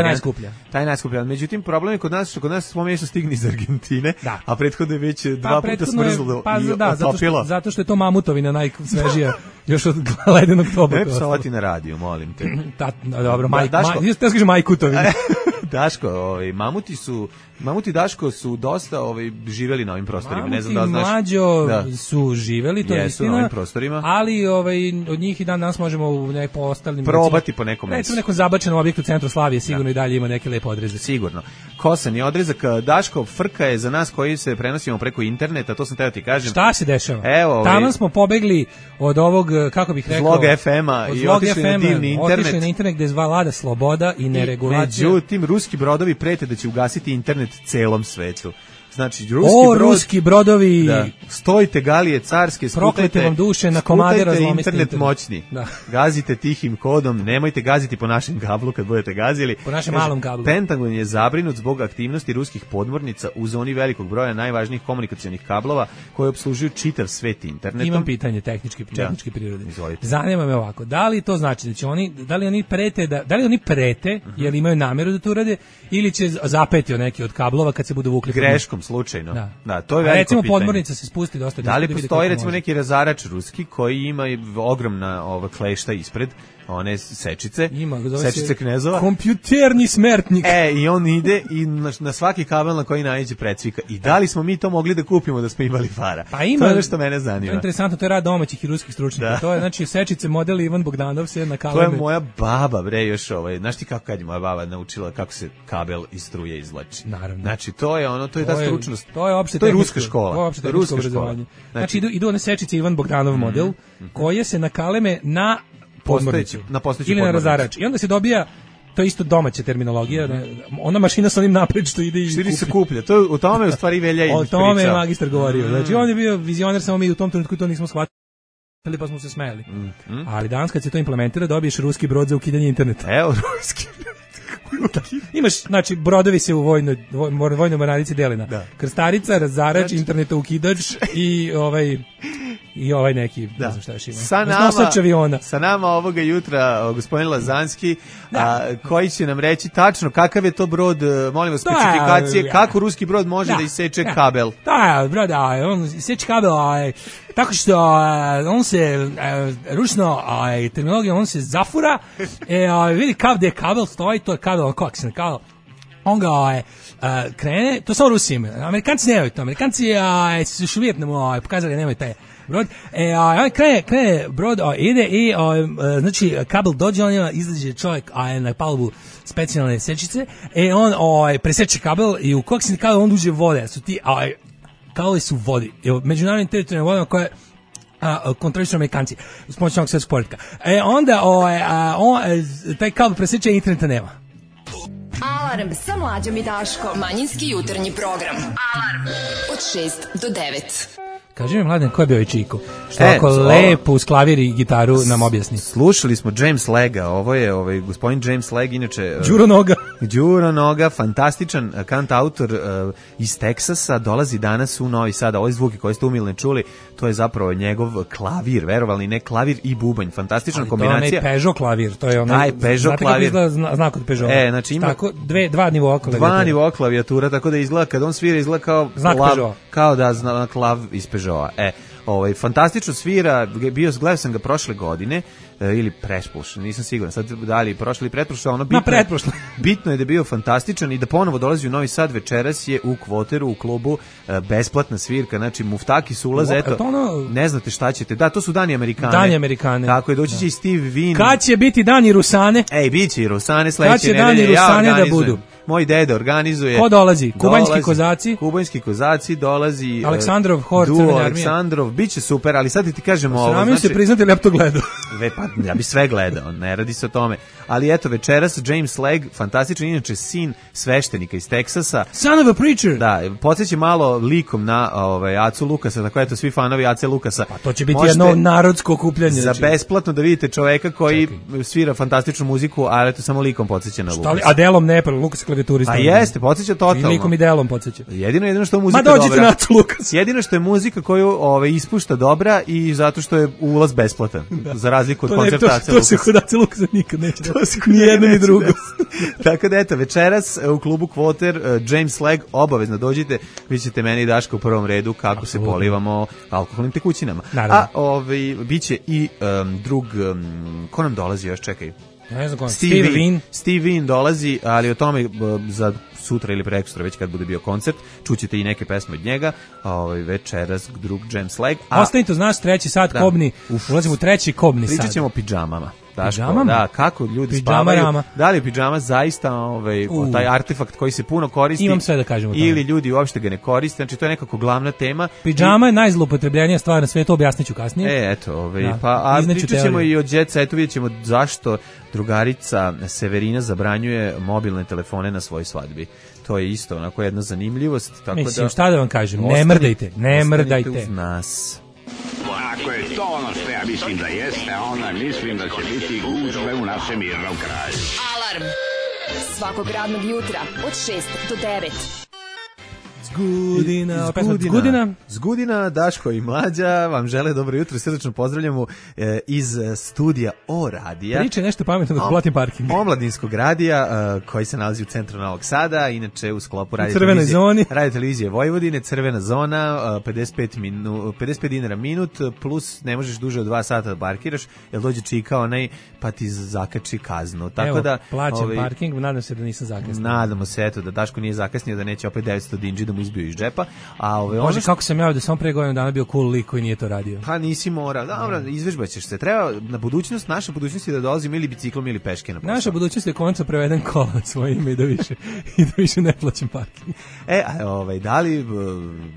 Taj najskuplja. Međutim, problem je kod nas, što kod nas smo meso stigni iz Argentine, a prethodno je već 2 puta smrzlo i otopilo. Zato što je to mamutovina najsvežija, još od ledenog toboka. Ne psovati na radiju, molim te. Dobro, majkutovina. Daško, mamuti Daško su dosta živeli na ovim prostorima. Ne znam da znaš. Mlađo su živeli, to je istina. Na ovim prostorima. Ali od njih i dan danas možemo u po ostalim probati po nekom mesu. Recimo nekom zabačenom objektu u centru Slavije sigurno i dalje ima neke lepe odreze. Sigurno. Kosan je odrezak. Daško, frka je za nas koji se prenosimo preko interneta, to sam teo ti kažem. Šta se dešava? Tamo smo pobegli od ovog, kako bih rekao, Zlog FM-a i otišli na divni internet. Otišli na internet gde vlada sloboda i neregulacija. Međutim, ruski brodovi prete da će ugasiti internet celom svetu. Znači, ruski brodovi, stojite galije carske, proklete vam duše, na komade razlomiste internet moćni. Gazite tihim kodom, nemojte gaziti po našem kablu kad budete gazili. Po našem malom kablu. Pentagon je zabrinut zbog aktivnosti ruskih podmornica u zoni velikog broja najvažnijih komunikacionih kablova koji opslužuju čitav svet internetom. Imam pitanje tehničke prirode. Zanima me ovako, da li to znači da će da li oni prete, jer imaju nameru da to urade, ili će zapeti neki od kablova kad se budu vukli greškom slučajno. Da, to je veliko recimo pitanje. Podmornica se spusti dosta. Da li postoji recimo neki razarač ruski koji ima ogromna klešta ispred, one sečice, sečice knezova. Kompjuterni smertnik. I on ide i na svaki kabel na koji naiđe precvika. I da li smo mi to mogli da kupimo da smo imali para? Pa ima, to je nešto mene zanima. To je interesantno, to je rad domaćih i ruskih stručnjaka. To je znači sečice model Ivan Bogdanov se na kabelu. To je moja baba, bre, još znaš ti kako kad je moja baba naučila kako se kabel iz struje izvlači. Naravno. Znači to je ta stručnost. To je opšte ruska škola. To je ruska obrazovanje. Znači idu one sečice Ivan Bogdanov model koje se nakaleme na podmornicu ili na razarač. I onda se dobija, to je isto domaća terminologija, ona mašina sa onim napred što ide i se kuplja. To u tome u stvari Velja i o tome je magistar govorio. Znači on je bio vizioner, samo mi u tom trenutku to nismo shvatili, pa smo se smejali. Ali danas kad se to implementira, dobiješ ruski brod za ukidanje interneta. Evo ruski. Imaš, znači, brodovi se u vojnoj mornarici dele na krstarica, razarač, interneta ukidač i ovaj neki, ne znam šta još ima. Sa nama ovoga jutra gospodin Lazanski, koji će nam reći tačno kakav je to brod, molim vas, specifikacije, kako ruski brod može da iseče kabel. Da, brod, on iseče kabel, tako što on se ručno terminologija, on se zafura, vidi gde kabel stoji, to je kabel, koaksijalni kabel, on ga krene, to samo Rusi imaju, Amerikanci nemaju to, Amerikanci su još uvijek pokazali da nemaju taj brod, on krene brod, ide i znači kabel dođe, on izađe čovjek na palubu specijalne sečice, on preseče kabel i u koaksijalni kabel on uđe vode, su ti kabeli su vodi, međunarodnim teritorijalnim vodama koje kontrolišu Amerikanci s pomoću ovog svjetskog poretka. Onda taj kabel preseče i interneta nema. Alarm sa Mlađom i Daškom. Manjinski jutarnji program. Alarm od 6 do 9. Kaži mi, Mladen, ko je bio i Čiko? Što ako lepo uz klavir i gitaru nam objasni. Slušali smo James Lega, ovo je gospodin James Leg, inače... Đuro Noga, fantastičan kantautor iz Teksasa, dolazi danas u Novi Sad. Ovo zvuki koje ste umilne čuli, to je zapravo njegov klavir, verovali ne, klavir i bubanj, fantastična kombinacija. To je onaj Peugeot klavir, to je onaj... Peugeot klavir. Znate kako izgleda znak od Peugeota? Znači ima... Tako, dva nivoa klavijatura. Dva nivoa klavijatura, tako da izgleda, kad on svira, izgleda kao... Znak Peugeota. Kao da klav iz Peugeota. Fantastično svira, gledao sam ga prošle godine, ili pretprošle, nisam siguran, sad da li prošle ili pretprošle, bitno je da je bio fantastičan i da ponovo dolazi u Novi Sad. Večeras je u Kvoteru, u klubu, besplatna svirka, znači muftaki su ulaze, ne znate šta ćete, to su Dani Amerikane. Tako je, doći će i Steve Wynn. Kad će biti Dani Rusane? Bit će i Rusane sledeće nedelje. Kad će Dani Rusane da budu? Moj deda organizuje. Ko dolazi? Kubanjski kozaci dolazi. Aleksandrov hor, Crvene armije. Aleksandrov, biće super, ali sad ti kažem ovo. Sramim se priznati, ja bi to gledao. Ja bi sve gledao, ne radi se o tome. Ali eto, večeras James Leg, fantastičan, inače sin sveštenika iz Teksasa. Son of a preacher. Da, podsjeća malo likom na Acu Lukasa, tako eto, svi fanovi Ace Lukasa. Pa to će biti jedno narodsko okupljanje. Za besplatno da vidite čoveka koji svira fantastičnu muziku, ali eto, samo likom podsjeća na Lukasa. A delom ne, Lukas klavijaturista. A jeste, podsjeća totalno. I likom i delom podsjeća. Jedino što je muzika dobra. Ma dođite na Acu Lukas. Jedino što je muzika koju ispušta dobra i zato što je ulaz besplatan. Za razliku od koncerta Ace Lukasa. To se kod Ace Lukasa nikad neće. Ni jedno ni drugo. Tako da eto, večeras u klubu Kvoter, James Leg, obavezno dođite, vi ćete meni i Daška u prvom redu kako se polivamo alkoholnim tekućinama. Naravno. A biće i drug, ko nam dolazi još, čekaj. Ne znam, Steve Wynn dolazi, ali o tome za sutra ili prekstra, već kad bude bio koncert, čućete i neke pesme od njega. Večeras drug James Leg. Ostanite uz nas, 3. sat kobni, ulazimo u 3. kobni sat. Pričat ćemo o pidžamama. Da, kako ljudi spavaju. Da li je pidžama zaista taj artefakt koji se puno koristi? Imam sve da kažemo. Ili ljudi uopšte ga ne koriste, znači to je nekako glavna tema. Pidžama je najzloupotrebljenija stvar na svijetu, objasniću kasnije. Pričat ćemo i o jet setu, vidjet ćemo zašto drugarica Severina zabranjuje mobilne telefone na svojoj svadbi. To je isto onako jedna zanimljivost. Mislim, šta da vam kažem, ne mrdajte. Ostanite uz nas. Ako je to ono što ja mislim da jeste, onda mislim da će biti gužve u našem mirnom kraju. Alarm svakog radnog jutra od 6 do 9. Zgudina, Daško i Mlađa vam žele dobro jutro i srdečno pozdravljamo iz studija O radija. Priče nešto pametno da platim parking. Omladinskog radija koji se nalazi u centru Novog Sada, inače u sklopu radio televizije Vojvodine, Crvena zona, 55 dinara minut, plus ne možeš duže od 2 sata da parkiraš, jer dođe čika onaj pa ti zakači kaznu. Tako da plaćam parking, nadam se da nisam zakasnio. Nadamo se eto da Daško nije zakasnio, da neće opet 900 dinđi da mu izbio iz džepa. Može kako sam ja da sam pre godinu dana bio cool lik koji nije to radio. Pa nisi morao. Dobro, izvežbaćeš se. Treba na budućnost, naša budućnost je da dolazim ili biciklom ili peške na posao. Naša budućnost je konačno preveden kola na svoje ime i da više ne plaćam parking.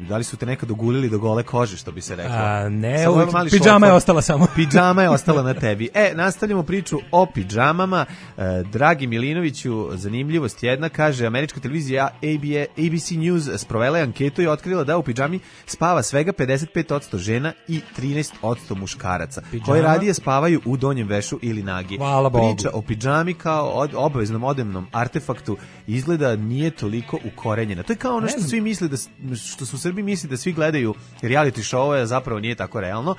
Da li su te nekad ogulili do gole kože, što bi se reklo? Ne, pidžama je ostala samo. Pidžama je ostala na tebi. Nastavljamo priču o pidžamama. Dragi Milinoviću, zanimljivost jedna, kaže američka televizija ABC News provela je anketu i otkrila da u pidžami spava svega 55% žena i 13% muškaraca, koji radije spavaju u donjem vešu ili nagi. Hvala Bogu. Priča o pidžami kao obaveznom odevnom artefaktu izgleda nije toliko ukorenjena. To je kao ono što svi misle što su u Srbiji misli da svi gledaju reality show, a zapravo nije tako realno.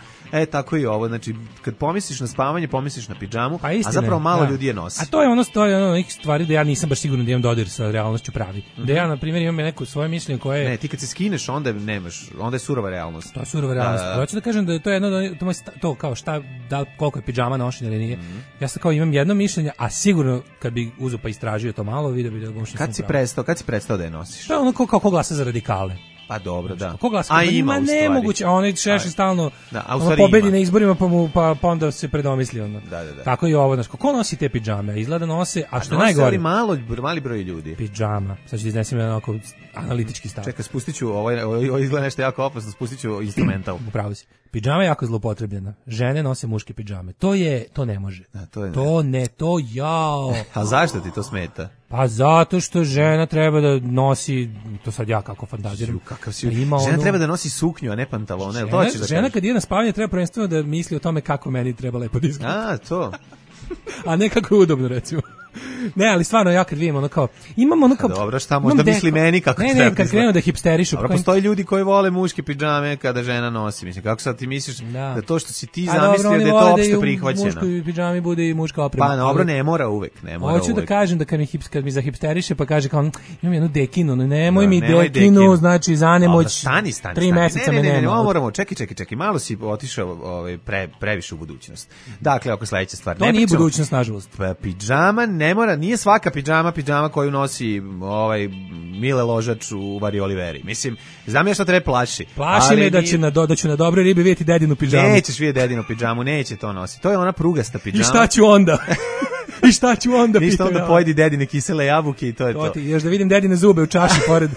Tako i ovo, znači kad pomisliš na spavanje, pomisliš na pidžamu, a zapravo malo ljudi je nosi. A to je ono nekih stvari da ja nisam baš siguran da imam dodir sa realnošću pravi. Da ja na primjer imam neko svoje mišljenje koje Ne, ti kad se skineš onda nemaš, onda je surova realnost. To je surova realnost. Hoću da kažem da je to jedno to kao koliko je pidžama nošenja ili nije. Ja sad kao imam jedno mišljenje, a sigurno kad bi uzeo pa istražio to malo, video bi da možda Kad si prestao da je nosiš? To je ono kao ko glasa za radikale. Pa dobro, da. Ko glasa? Ima nemoguće, a onaj Šešelj stalno pobedi na izborima pa onda se predomisli ono. Da. Tako i ovo, znači, ko nosi te pidžame? Izgleda nose, a što je najgore? Mali broj ljudi. Pidžama. Sad ću ti iznesim jedan onako analitički stav. Čekaj, spustit ću, ovo izgleda nešto jako opasno, spustit ću instrumental. Upravo si. Pidžama je jako zloupotrebljena. Žene nose muške pidžame. To ne može. A zašto ti to smeta? Pa zato što žena treba da nosi, to sad ja kako fantaziram. Žena treba da nosi suknju, a ne pantalone. Žena kad ide na spavanje treba prvenstveno da misli o tome kako meni treba lepo da izgleda. To. A ne kako je udobno, recimo. Ne, ali stvarno ja kad vidim imamo dobro, šta možda misli meni kako treba. Ne, kad krenu da hipsterišu. Dobro, postoji ljudi koji vole muške pidžame kada žena nosi. Mislim, kako sad ti misliš da to što si ti zamislio da je to opšte prihvaćeno? A dobro, oni vole da i u muškoj pidžami bude i muška oprema. Pa dobro, ne mora uvek. Hoću da kažem da kad mi zahipsteriše pa kaže kao imam jednu dekinu, nemoj mi dekinu, znači za nemoć 3 meseca me nema. Ne, moramo, čekaj, malo si otišao previše u budućnost. Dakle, oko sledeća stvar. To nije budućnost, nažalost. Pidžama ne mora, nije svaka pidžama koju nosi Mile Ložač u Vari Oliveri. Mislim, znam ja šta treba plaši. Plaši me da ću na dobroj ribi vidjeti dedinu pidžamu. Nećeš vidjeti dedinu pidžamu, neće to nositi. To je ona prugasta pidžama. I šta ću onda? Ništa onda pojedi dedine kisele jabuke i to je to. Još da vidim dedine zube u čaši pored.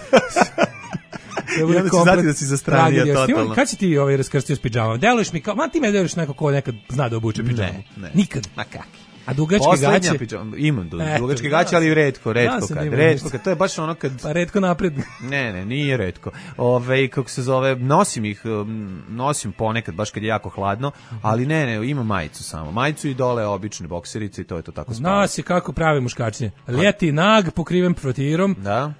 I onda ću znati da si zastranio totalno. Kad si ti raskrstio s pidžamama? Deluješ mi kao, ti me deluješ neko ko nekad zna da obuče pidžamu. Ne. Nikad. Ma kak? A dugačke gaće? Imam dugačke gaće, ali redko kad. To je baš ono kad... Pa redko napred. Ne, nije redko. Kako se zove, nosim ponekad, baš kad je jako hladno, ali ne, imam majicu samo. Majicu i dole obične bokserice i to je to tako spavno. Nosi kako pravi muškačnje. Ljeti nag, pokriven frotirom. Da.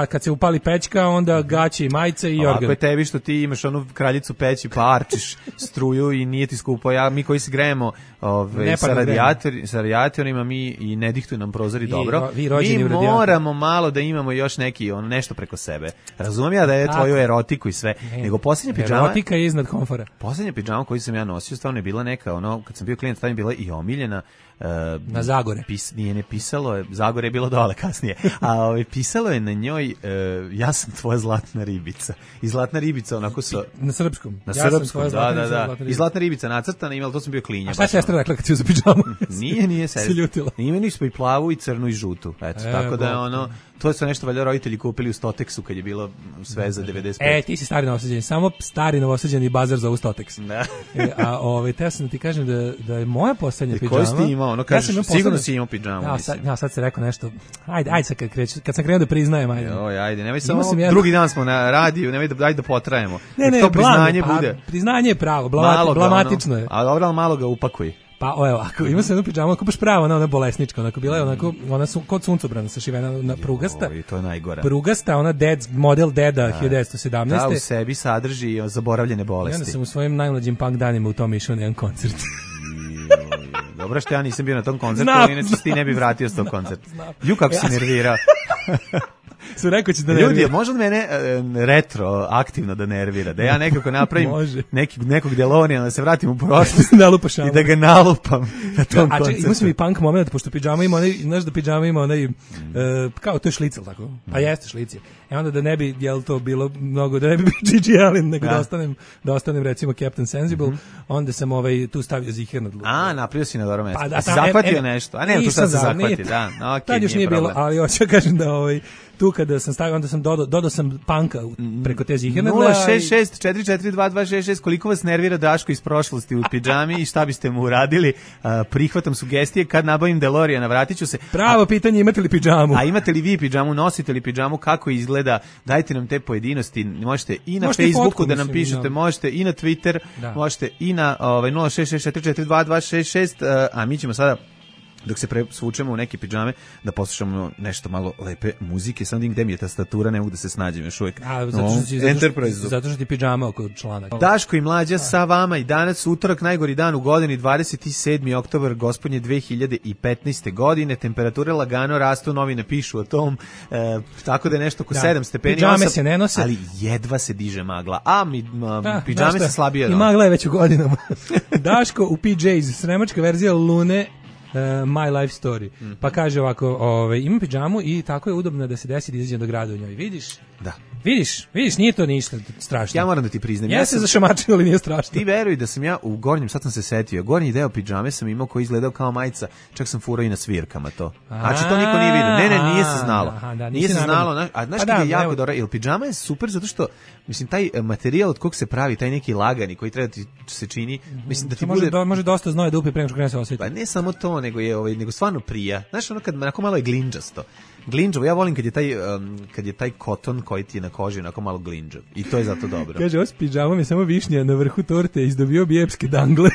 Kad se upali pećka, onda gaće i majice i organ. Ako je tebi što ti imaš onu kraljicu peći pa arčiš struju i nije ti skupo, mi koji se grejemo sa radijatorima, mi i ne dihtuju nam prozori dobro, mi moramo malo da imamo još neki nešto preko sebe. Razumijem ja da je tvoju erotiku i sve, nego posljednja pidžama... Erotika je iznad komfora. Posljednja pidžama koju sam ja nosio stvarno je bila neka, kad sam bio klijent, stvarno je bila i omiljena. Na Zagore. Nije ne pisalo je, Zagore je bilo dole kasnije, a pisalo je na njoj ja sam tvoja zlatna ribica. I zlatna ribica onako sa... Na srpskom. Na srpskom, da. I zlatna ribica nacrtana, imala, to sam bio klinja. A šta je sestra rekla kad si uzeo pidžamu? Nije sestra. Se ljutila. Nije, nismo i plavu i crnu i žutu. Eto, tako da je to su nešto valjda roditelji kupili u Stoteksu kad je bilo sve za 95. Ti si stari novosađeni, samo stari novosađeni bazar za Stoteks. Da. Teo sam da ti kažem da je moja poslednja pidžama. Koji si ti imao? Sigurno si imao pidžamu. Sad se rekao nešto. Ajde sad kad sam krenuo da priznajem, ajde, nemoj samo drugi dan smo na radiju, nemoj da potrajemo. Ne, to priznanje bude. Priznanje je pravo, blamatično je. A dobro, malo ga upakuj. Pa evo, ima se jednu pidžamu, ako baš pravo, ona bolesnička, onako bila je ona kod suncobrana sašivena na prugasta. I to je najgora. Prugasta, ona model Deda 1917. Da, u sebi sadrži zaboravljene bolesti. I onda sam u svojim najmlađim punk danima u tom išao na jedan koncert. Dobro što ja nisam bio na tom koncertu, inače ti ne bi vratio s tog koncerta. Kako si nervirao. Su rekao će da nervira. Ljudi, može li mene retro aktivno da nervira? Da ja nekako napravim nekog Delonija, da se vratim u prošlost i da ga nalupam na tom koncertu. Imao sam i punk moment, pošto pidžama ima onaj, znaš da pidžama ima onaj, kao to je šlicel, tako? Pa jeste šlicel. Onda da ne bi, jel to bilo mnogo, da ne bi bio Gigi Allen, nego da ostanem recimo Captain Sensible, onda sam tu stavio ziher na dlu. Napravio si na dobro mesto. A si zahvatio nešto? A ne, tu sad se zahvati, da. Tad još nije bilo, ali hoću kažem da tu kada da sam stavio, onda sam dodao sam panka preko te ziherne. 066-442-266, koliko vas nervira Daško iz prošlosti u pidžami i šta biste mu uradili? Prihvatam sugestije, kad nabavim DeLoreana, vratit ću se. Pravo pitanje, imate li pidžamu? A imate li vi pidžamu, nosite li pidžamu, kako izgleda, dajte nam te pojedinosti, možete i na Facebooku fotku, da nam pišete, možete i na Twitter, možete i na 066-442-266, a mi ćemo sada, dok se svučemo u neke pidžame, da poslušamo nešto malo lepe muzike. Sam gde mi je tastatura, ne mogu da se snađem još uvijek. Zato što ti pidžama oko članak. Daško i Mlađa sa vama i danas utorak, najgori dan u godini, 27. oktobar gospodnje 2015. godine. Temperature lagano rastu, novine pišu o tom, tako da je nešto oko 7 stepeni. Pidžame se ne nose. Ali jedva se diže magla. Pidžame se slabije. I magla je već u godinama. Daško u PJs, sremačka verzija Lune, My Life Story. Pa kaže ovako, imam pidžamu i tako je udobno da se desi da izađem do grada u njoj. Vidiš? Da. Vidiš, nije to ništa strašno. Ja moram da ti priznam. Ja se zašamačio, ali nije strašno. Ti veruj da sam ja u gornjem, sad sam se setio, gornji deo pidžame sam imao koji izgledao kao majica, čak sam furao i na svirkama to. Znači to niko nije vidio. Ne, nije se znalo. Nije se znalo. A znaš kada je jako dobro, jer pidžama je super zato što, mislim, taj materijal od kog se pravi, taj neki lagani koji treba ti se čini, mislim da ti može dosta znoja da upi pre nego što krene se osjeti. Pa ne samo to, nego stvarno prija. Znaš, ono kad onako malo je glinđasto. Glinđavo, ja volim kad je taj koton koji ti je na koži onako malo glinđav. I to je zato dobro. Kaže, ovo s pidžamom je samo višnja na vrhu torte, izdobio bi epske dangle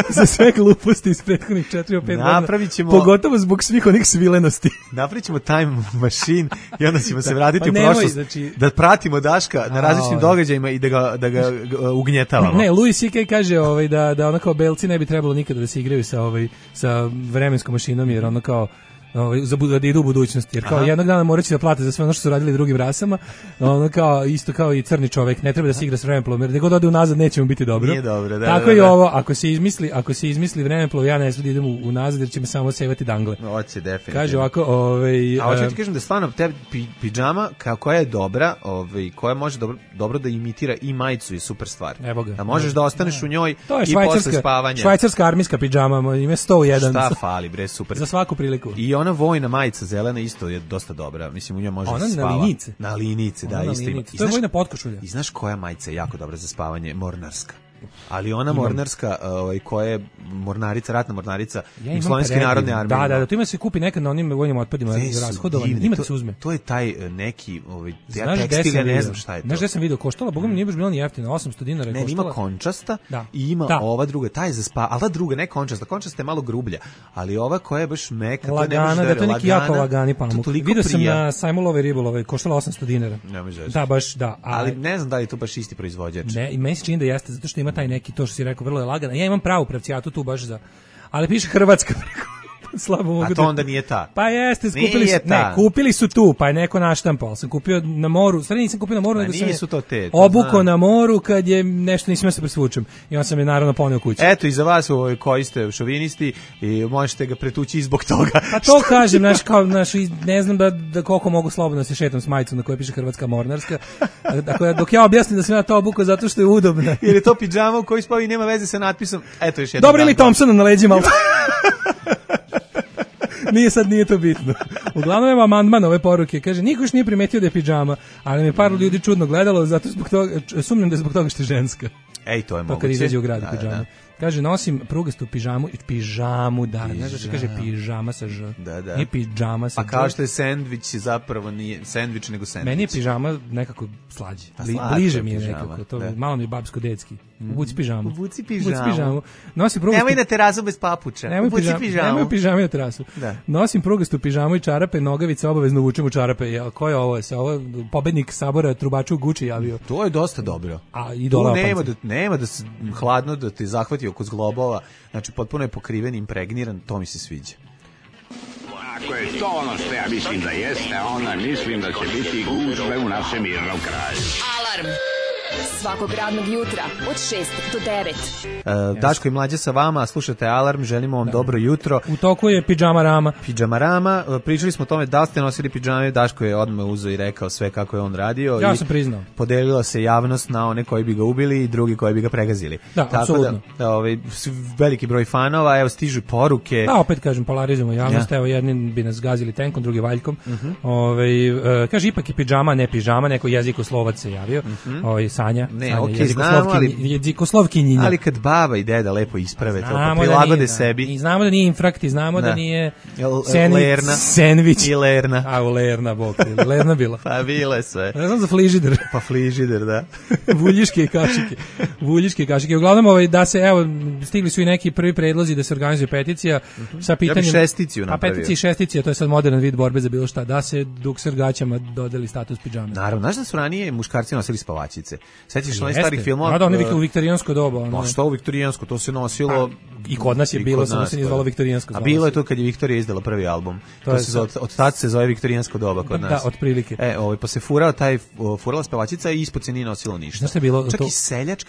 za sve gluposti iz prethodnih 4-5 godina. Pogotovo zbog svih onih svilenosti. Napravit ćemo time machine i onda ćemo se vratiti u prošlost, da pratimo Daška na različitim događajima i da ga ugnjetavamo. Ne, Louis C.K. kaže da ono kao belci ne bi trebalo nikada da se igraju sa vremenskom mašinom, jer ono kao da idu u budućnost, jer kao jednog dana morat će da plate za sve ono što su radili drugim rasama, ono kao, isto kao i crni čovek, ne treba da se igra s vremenoplovom, jer gdje god ode unazad neće mu biti dobro. Nije dobro, da. Tako i ovo, ako se izmisli vremeplov, ja ne znam da idem unazad, jer će me samo sevati dangle. Hoće, definitivno. Kaže ovako, a hoće ti kažem da stvarno te pidžama koja je dobra, koja može dobro da imitira i majicu, je super stvar. Evo ga. Da možeš da ostaneš u njoj i posle spavanja. Švajcarska armijska pidžama, ima 101. Šta fali, bre, super. Za svaku priliku. I ona vojna majica zelena isto je dosta dobra. Mislim, u njoj može da se spava. Na linice, da, isto ima. To je vojna potkošulja. I znaš koja majica je jako dobra za spavanje? Mornarska. Ali ona mornarska, koja je mornarica, ratna mornarica Jugoslovenske narodne armije. Da, to ima se kupi nekad na onim vojnim otpadima rashodovanim. Ima da se uzme. To je taj neki tekstil, ne znam šta je to. Znaš gde sam vidio, koštala, bogom nije baš bilo ni jeftino, 800 dinara je koštala. Ne, ima končasta i ima ova druga, taj za spa, ali ta druga, ne končasta, končasta je malo grublja, ali ova koja je baš meka, lagana, to je neki jako lagani pamuk. Vidio sam na Sajmulove ribolove, koštala 800 dinara. Da, baš, da. Ali ne znam da li je to baš isti proizvođač. Ne, i meni se čini da jeste, zato što ima taj neki, to što si rekao, vrlo je lagana. Ja imam pravu pravcijatu tu baš za, ali piše Hrvatska preko. Slabo mogu. A to onda nije ta. Pa jeste, kupili su tu, pa je neko naštampao. Sam kupio na moru, stvarno nisam kupio na moru, nego sam obuko na moru kad je nešto nisam se presvučem. I on sam je naravno poneo kući. Eto, i za vas koji ste šovinisti i možete ga pretući zbog toga. A to kažem, ne znam da koliko mogu slobodno se šetam s majicom na kojoj piše Hrvatska mornarska. Dok ja objasnim da sam ja to obuko zato što je udobna. Jer je to pidžama u kojoj spavi nema veze sa natpisom. Eto još jedno. Dobro ili Thompsona na leđima. Nije to bitno. Uglavnom je amandman ove poruke. Kaže, niko još nije primetio da je pidžama, ali me par ljudi čudno gledalo, zato sumnjam da je zbog toga što je ženska. Ej, to je moguće. To kad izađe u grad u pidžamu. Kaže, nosim prugastu pidžamu, da, znaš da se kaže pidžama sa ž. Da. Nije pidžama sa ž. A kao što je sendvič, zapravo nije sendvič nego sendvič. Meni je pidžama nekako slađe. Bliže mi je nekako. To malo mi je babsko-detski. Ubuci pidžamu. Nosim prugastu... Nemoj na terasu bez papuča. Nemoj pidžame na terasu. Nosim prugastu pidžamu i čarape, nogavice, obavezno vučem u čarape. Ko je ovo? Se ovo pobednik sabora trubaču u Guči javio. To je dosta dobro. A i dole nema da se hladno da te zahvati oko zglobova, znači potpuno je pokriven, impregniran, to mi se sviđa. Ako je to ono što ja mislim da jeste, onda mislim da će biti gužve u našem mirnom kraju. Alarm Svakog radnog jutra od 6 do 9. Daško i Mlađa sa vama, slušate Alarm, želimo vam dobro jutro. U toku je pidžama rama. Pidžama rama, pričali smo o tome da ste nosili pidžame, Daško je odmah uzeo i rekao sve kako je on radio. Ja sam priznao. Podelila se javnost na one koji bi ga ubili i drugi koji bi ga pregazili. Da, apsolutno. Veliki broj fanova, evo stižu poruke. Da, opet kažem, polarizujemo javnost, evo jedni bi nas gazili tenkom, drugi valjkom. Kaže, ipak je pidžama, ne pižama, neko jezikoslovac se javio. Sanja. Ne, okej, znamo, jezikoslovkinjinja. Ali kad baba i deda lepo isprave to, pa prilagode sebi. I znamo da nije infrakt, i znamo da nije sandvič. I lerna. A, u lerna, bok. Lerna bila. Pa bile sve. Ne znam za frižider. Pa frižider, da. Vuljiške i kašike. Uglavnom, da se, evo, stigli su i neki prvi predlozi da se organizuje peticija sa pitanjem... Ja bi šesticiju napravio. A peticija i šestica, to je sad modern vid borbe za bilo šta, da se dukser gaćama dodeli status pidžame. Naravno, znaš da su ranije muškarci nosili spavačice? Sećaš se onih starih filmova? Da, oni u viktorijansko doba. Pa što u viktorijansko, to se nosilo... I kod nas je bilo, samo se nije zvalo viktorijansko. A bilo je to kad je Viktorija izdala prvi album. To se od tad se zove viktorijansko doba kod nas. Da, otprilike. Pa se furala spavačica i ispod se nije nosilo ništa. Znaš šta je bilo? Čak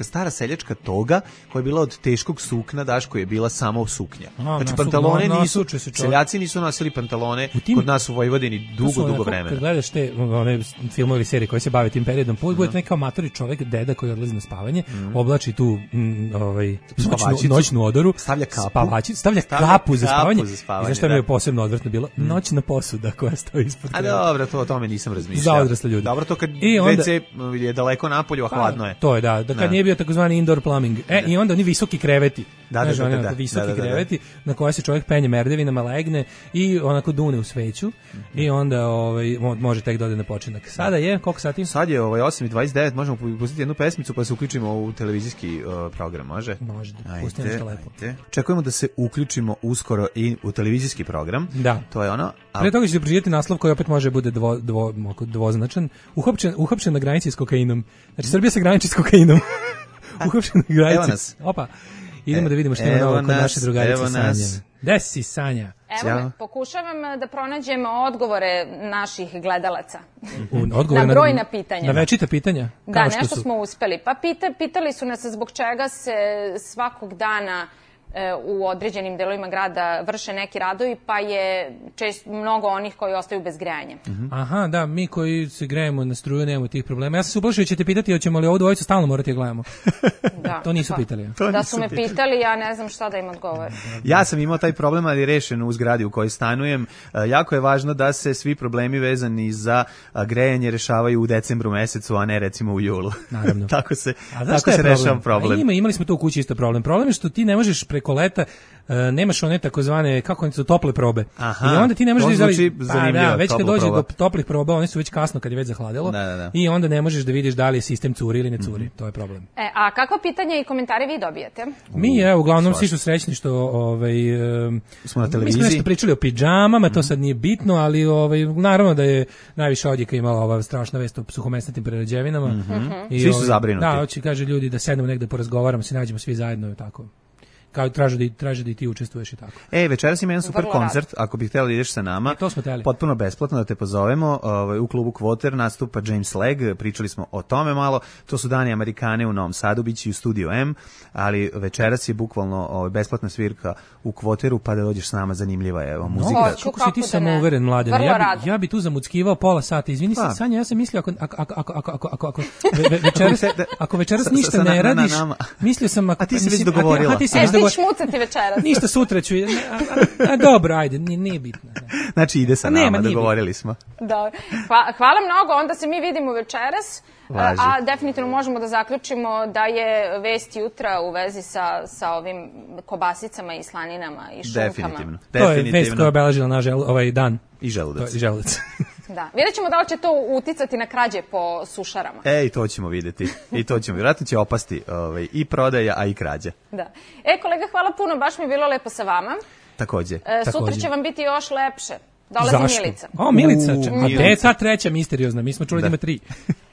i stara seljačka toga koja je bila od teškog sukna, Daško, je bila samo suknja. Znači pantalone nisu, seljaci nisu nosili pantalone kod nas u Vojvodini dugo vremena. Kad gledaš te filmove ili serije koje se bave tim periodom, budete neki amatori čovek, deda koji odlazi na spavanje, oblači tu noćnu odoru, stavlja kapu za spavanje. I znaš šta mi je posebno odvrtno bilo? Noćna posuda koja stoji ispod kreva. A dobro, o tome nisam razmišljao. Za odrasle ljudi. Dobro, to kad WC je daleko napolju, a hladno je. To je, da kad nije bio takozvani indoor plumbing. I onda oni visoki kreveti. Visoki kreveti na koje se čovjek penje merdevinama, legne i onako dune u sveću i onda može tek da ode na počinak. Sada je, koliko sati? Sad je 8:29, možemo pustiti jednu pesmicu pa se uključimo u televizijski program, može? Može, pustimo nešto lepo. Čekujemo da se uključimo uskoro i u televizijski program. Da. To je ono. Pre toga ćete pročitati naslov koji opet može bude dvoznačan. Uhapšen na granici s kokainom. Znači, Srbija se graniči s kokainom. Uhapšen na granici. Evo nas. Opa. Idemo da vidimo što ima novo kod naše drugarice Sanje. Gde si, Sanja? Evo, pokušavam da pronađem odgovore naših gledalaca. Odgovore na brojna pitanja. Na večita pitanja? Da, nešto smo uspeli. Pa pitali su nas zbog čega se svakog dana u određenim delovima grada vrše neki radovi, pa je mnogo onih koji ostaju bez grejanja. Aha, da, mi koji se grejemo na struju nemamo tih problema. Ja sam se uplašio, ćete pitati, hoćemo li ovu dvojicu stalno morati da gledamo? To nisu pitali. Da su me pitali, ja ne znam šta da im odgovorim. Ja sam imao taj problem, ali rešen u zgradi u kojoj stanujem. Jako je važno da se svi problemi vezani za grejanje rešavaju u decembru mesecu, a ne recimo u julu. Naravno. Tako se rešava problem. Imali smo to u kući isto problem. Problem je što ti ne možeš preko leta nemaš one takozvane, kako su tople probe. Aha, i onda ti ne možeš već kad dođe do toplih proba, one su već kasno kad je već zahladilo. I onda ne možeš da vidiš da li je sistem curi ili ne curi. To je problem. A kakva pitanja i komentare vi dobijete? Mi uglavnom svi su srećni što smo na televiziji. Mi smo nešto pričali o pidžamama, to sad nije bitno, ali naravno da je najviše odjeka imala ova strašna vest o suhomesnatim prerađevinama. Svi su zabrinuti. Da, hoće, kaže ljudi da sednemo negde porazgovaramo, se nađemo svi zajedno i tako. Kao traže da i ti učestvuješ i tako. Večeras ima jedan super koncert, ako bih htjela da ideš sa nama. To smo htjeli. Potpuno besplatno da te pozovemo. U klubu Kvoter nastupa James Leg, pričali smo o tome malo. To su Dani Amerikane u Novom Sadu, biće i u Studio M, ali večeras je bukvalno besplatna svirka u Kvoteru, pa da dođeš s nama, zanimljiva je muzika. Kako si ti samouveren, Mladen? Ja bi tu zamuckivao pola sata. Izvini se, Sanja, ja sam mislio ako večeras ništa ne radiš, mislio sam... A ti si već dogovorila. Šmucati večeras. Ništa, sutra ću. Dobro, ajde, nije bitno. Znači ide sa nama, dogovorili smo. Da. Hvala mnogo, onda se mi vidimo večeras. A definitivno možemo da zaključimo da je vest jutra u vezi sa ovim kobasicama i slaninama i šunkama. Definitivno. To je vest koja je obeležila naš dan. I želudac. Da. Vidjet ćemo da li će to uticati na krađe po sušarama. I to ćemo vidjeti. Vjerojatno će opasti i prodaja, a i krađa. Da. Kolega, hvala puno, baš mi je bilo lepo sa vama. Takođe. Sutra će vam biti još lepše. Dolazi Milica. Milica. A gde je ta treća misteriozna? Mi smo čuli da ima 3.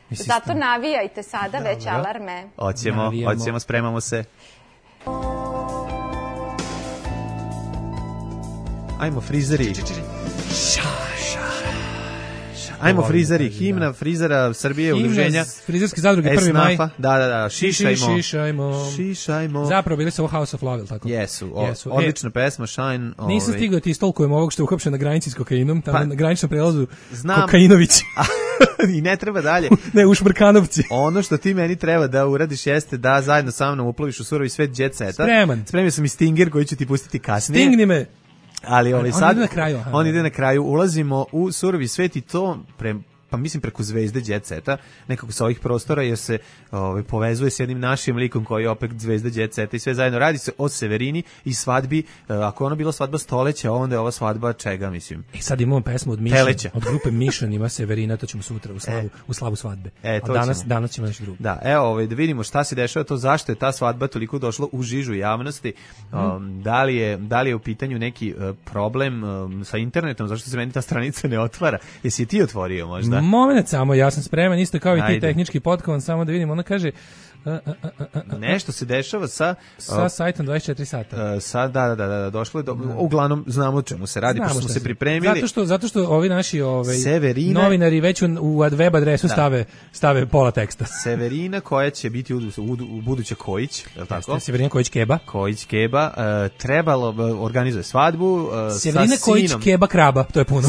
Zato navijajte sada već alarme. Hoćemo, spremamo se. Ajmo, frizeri. Ajmo frizeri, himna frizera Srbije, udruženja. Frizerske zadruge 1. maj. Da, Šišajmo. Zapravo bili su ovo House of Love, tako? Jesu. Odlična pesma, Shine. Nisam stigao ti istolkujem ovog što je uhapšen na granici s kokainom, tamo na graničnom prelazu Kokainović. I ne treba dalje. Ne, u Šmrkanovci. Ono što ti meni treba da uradiš jeste da zajedno sa mnom uploviš u surovi svet Jet Seta. Spremio sam i Stinger koji ću ti pustiti kasnije. Stingni me. Ali sad ide na kraju. On ide na kraju. Ulazimo u surovi svet i to pa mislim preko zvezde Jet Seta, nekako sa ovih prostora, jer se povezuje s jednim našim likom koji je opet zvezda Jet Seta i sve zajedno. Radi se o Severini i svadbi, ako ono bila svadba stoleća, onda je ova svadba čega, mislim. Sad imamo pesmu od Mission, od grupe Mission ima Severina, to ćemo sutra u slavu svadbe. Danas ćemo nešto drugo. Da, da vidimo šta se dešava, to zašto je ta svadba toliko došla u žižu javnosti, da li je u pitanju neki problem sa internetom, zašto se meni ta stranica ne otvara, jesi ti otvorio možda? Moment samo, ja sam spreman, isto kao i ti tehnički potkovan, samo da vidim, ona kaže nešto se dešava sa sajtom 24 sata. Da, došlo je uglavnom znamo o čemu se radi, pošto smo se pripremili. Zato što ovi naši novinari već u web adresu stave pola teksta. Severina koja će biti u buduće Kojić, je li tako? Severina Kojić Keba. Kojić Keba, trebalo organizuje svadbu Severina Kojić Keba Kraba, to je puno.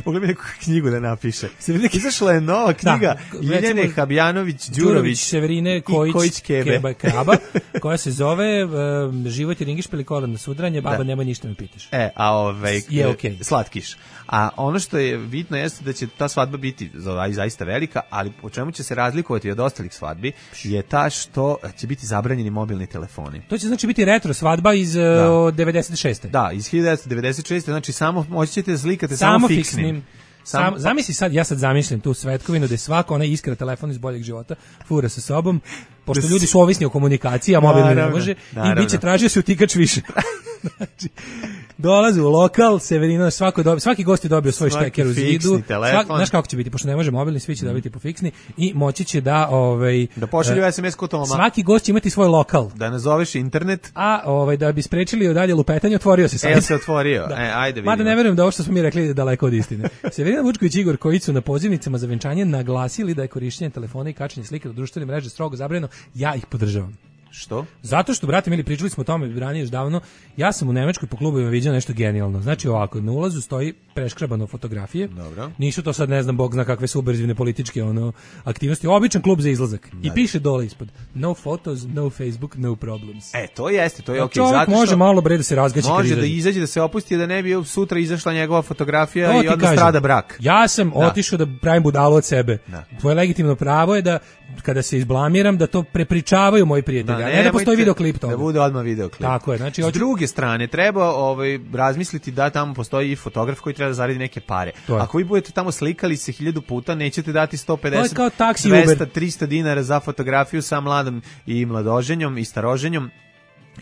Mogli bi neku knjigu da napiše. Izašla je nova knjiga Ljiljane Habjanović Đurović Severine Kojić Keba Kraba, koja se zove Život je ringišpil kolan na sudranje, baba nemoj ništa me pitaš. Slatkiš. A ono što je bitno jeste da će ta svadba biti zaista velika, ali po čemu će se razlikovati od ostalih svadbi je ta što će biti zabranjeni mobilni telefoni. To će znači biti retro svadba iz 96. Da, iz 1996. Znači samo moći ćete slikati samo fiksnim. Zamisli sad, ja sad zamišljam tu svetkovinu da je svako onaj iskra telefon iz boljeg života fura sa sobom, pošto ljudi su ovisni o komunikaciji, a mobilni ne može, i bit će tražio se utikač više. Znači, dolaze u lokal, Severina, svaki gost je dobio svoj šteker u zidu. Znaš kako će biti, pošto ne može mobilni, svi će dobiti po fiksni i moći će da pošalju SMS kod Toma. Svaki gost će imati svoj lokal. Da nazoveš internet. A da bi sprečili dalje lupetanje, otvorio se sad. Se otvorio. Ajde vidimo. Mada ne verujem da ovo što smo mi rekli je daleko od istine. Severina Vučković i Igor Kojić su na pozivnicama za venčanje naglasili da je korišćenje telefona i kačenje slike na društvene mreže strogo zabranjeno. Ja ih podržavam. Što? Zato što, brate mili, pričali smo o tome ranije još davno, ja sam u Nemačkoj po klubovima vidio nešto genijalno. Znači ovako, na ulazu stoji preškrabano fotografije. Dobro. Nisu to sad, ne znam, bog zna kakve subverzivne političke aktivnosti. Običan klub za izlazak. I piše dole ispod: no photos, no Facebook, no problems. To jeste, to je okej. Čovjek može malo bre da se razgaći kad može da izađe, da se opusti, da ne bi sutra izašla njegova fotografija i onda strada brak. Ja sam otišao da pravim budalu od sebe. Tvoje legitimno pravo je da kada se izblamiram da to prepričavaju moji prijatelji. Ne da postoji videoklip toga. Da bude odmah videoklip. Tako je, znači s druge strane treba razmisliti da tamo postoji i fotograf koji treba da zaradi neke pare. Ako vi budete tamo slikali se 1000 puta, nećete dati 150, 200, 300 dinara za fotografiju sa mladom i mladoženjom i staroženjom.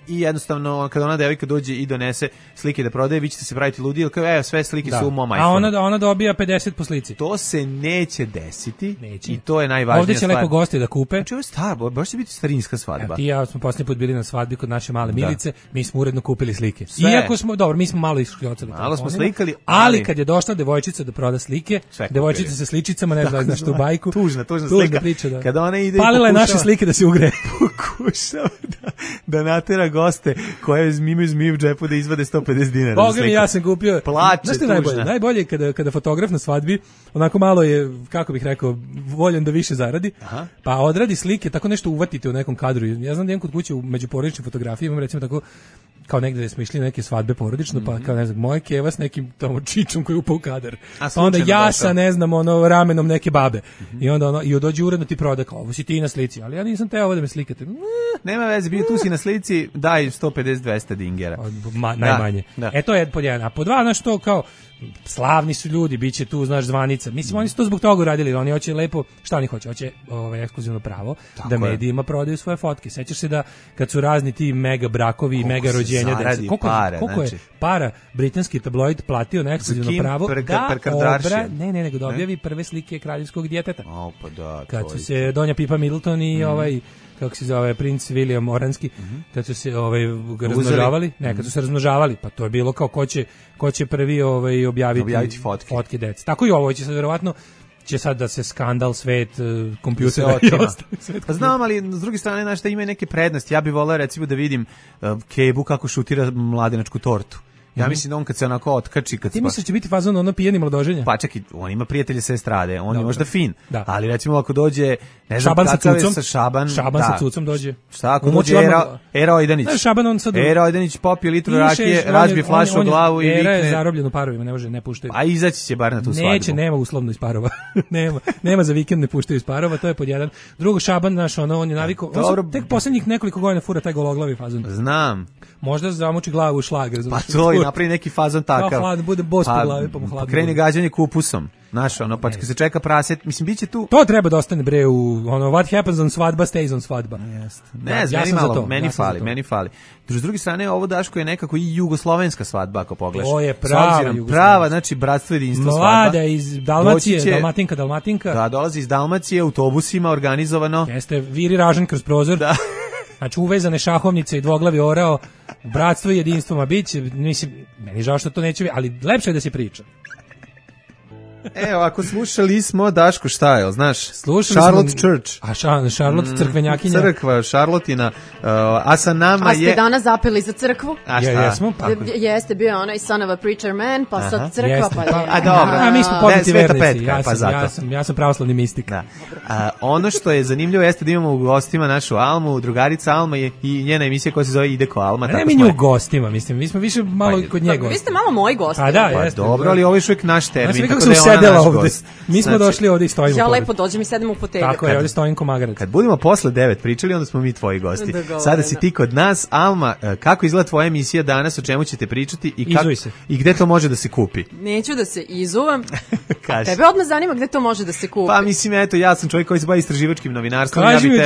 I jednostavno kada ona devojka dođe i donese slike da prodaje, vi ćete se praviti ludi, jer kao sve slike su u mom iPhone. A ona dobija 50 po slici. To se neće desiti. I to je najvažnija stvar. Ovdje će lepo gosti da kupe. Znači ovo je staro, baš će biti starinska svadba. Ti i ja smo posljednji put bili na svadbi kod naše male Milice, mi smo uredno kupili slike. Iako smo, dobro, mi smo malo isključili. Malo smo slikali, ali kad je došla devojčica da proda slike, devojčica sa sličicama, ne znam zašto u bajku. Tužna slika. Priča, da. Kada ona ide palila je naše slike da se ugre. Pokušava da natera goste koje imaju zmiju u džepu da izvade 150 dinara. Boga mi, ja sam kupio. Plače, najbolje kada fotograf na svadbi onako malo je, kako bih rekao, voljan da više zaradi, pa odradi slike, tako nešto uvatite u nekom kadru. Ja znam da imam kod kuće u međuporodičnim fotografijama, recimo tako, kao negde smo išli neke svadbe porodično, pa kao ne znam, moje keva s nekim tamo čičom koji upao u kadar. Pa onda ja sa, ne znam, ramenom neke babe. I onda i dođe uredno ti proda, kao, ovo si ti na slici, ali ja nisam teo ovo da me slikate. Nema veze, bio tu si na slici, daj 150-200 dingera. Najmanje. To je pod jedan. A pod dva, znaš to, kao, slavni su ljudi, bit će tu, znaš, zvanica. Mislim, oni su to zbog toga uradili, oni hoće lepo, šta oni hoće? Hoće ekskluzivno pravo da medijima prodaju svoje fotke. Sećaš se da kad su razni ti mega brakovi i mega rođenja dece, koliko je para britanski tabloid platio na ekskluzivno pravo da objavi prve slike kraljevskog djeteta. Kad su se Donja Pipa Middleton i kako se zove, princ William Oranski, kad su se razmnožavali, kad su se razmnožavali, pa to je bilo kao ko će prvi objaviti fotke dece. Tako i ovo će sad verovatno da se skandal svet kompjutera i ostalo. Pa znam, ali s druge strane, znaš, da ima neke prednosti. Ja bih voleo recimo da vidim Kebu kako šutira mladenačku tortu. Ja mislim da on kad se onako otkači... Ti misliš će biti fazon ono pijeni mladoženja? Pa čekaj, on ima prijatelje sa estrade, on je možda fin, ali recimo ako dođe... Ne znam Šaban sa cucom. Šaban sa cucom dođe. Šta ako dođe Era Ojdanić? Šaban on sad... Era Ojdanić popije litru rakije, razbije flašu o glavu i vikne... Era je zarobljen u parovima, ne puštaju. A izaći će bar na tu svadbu. Neće, nema uslovno iz parova. nema za vikend ne puštaju iz parova, to je pod jedan. Drugo, Šaban, naš, on je navikao... Tek poslednjih nekoliko godina fura taj gologlavi fazon. Znam. Možda zamuči glavu u šlager. Pa to i napravi neki fazon takav. Kao hlad, bude bos po glavi, pa mu hladno. Krene gađanje kupusom. Znaš, ono, pa kad se čeka praset, mislim, bit će tu... To treba da ostane, bre, u ono, what happens on svadba, stays on svadba. Ne, meni fali. S druge strane, ovo, Daško, je nekako i jugoslovenska svadba, ako pogledaš. To je prava, znači, bratstvo jedinstvo svadba. Mlada iz Dalmacije, Dalmatinka. Da, dolazi iz Dalmacije, autobusima, organizovano. Jeste, viri ražan kroz prozor. Da. Znači, uvezane šahovnice i dvoglavi orao, bratstvo i jedinstvo, ma bit će, mislim, meni žao što to neće biti, ali lepše je da se priča. Evo, ako slušali smo, Daško, šta je, znaš? Slušali Charlotte smo, Church. A Charlotte crkvenjakinja. Crkva, Charlottina, a sa nama je... A ste danas zapeli za crkvu? A šta? Jesmo? Jeste bio onaj Son of a Preacher Man, pa sad crkva, pa je... A dobro. A mi smo poznati vernici, ja sam pravoslavni mistik. Da. Ono što je zanimljivo jeste da imamo u gostima našu Almu, drugarica Alma je i njena emisija koja se zove Ide ko Alma. Ne mi nju u gostima, mislim, mi smo više malo kod njega. Vi ste malo moji gosti. A da, jeste. Dobro, ali ovo je uvijek naš termin, tako da je ona naš gost. Mi smo došli ovdje i stojimo. Ja lepo dođem i sedem u fotelju. Tako je, ovdje stojim ko magarac. Kad budemo posle 9 pričali, onda smo mi tvoji gosti. Sada si ti kod nas. Alma, kako izgleda tvoja emisija danas, o čemu ćete pričati i gde to može da se kupi? Neću da se izuvam. Tebe odmah zanima gde to može da se kupi. Pa mislim, eto, ja sam čovjek koji se bavi istraživačkim novinarstvom. Kaži mi,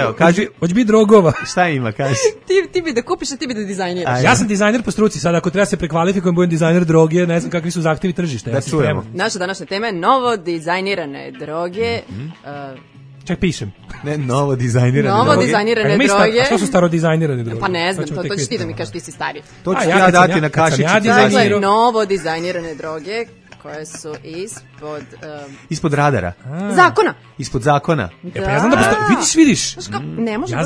hoće biti drogova. Šta ima, kaži? Ti bi da kupiš, a ti bi da dizajniraš. Ja sam dizajner po struci, sad ako treba se prekvalifikujem, budem dizajner droge, ne znam kakvi su zahtevi tržišta. Da čujemo. Naša današnja tema je novo dizajnirane droge. Čak pišem. Ne, novo dizajnirane droge. A što su staro dizajnirane droge? Pa ne znam, to ćeš ti da mi kažeš, ti si stari. To ću ja dati na kašici. Dakle, novo dizajnirane droge koje su ispod radara. Zakona. Ispod zakona. Da. Pa ja znam da postoje, vidiš. Ne može ja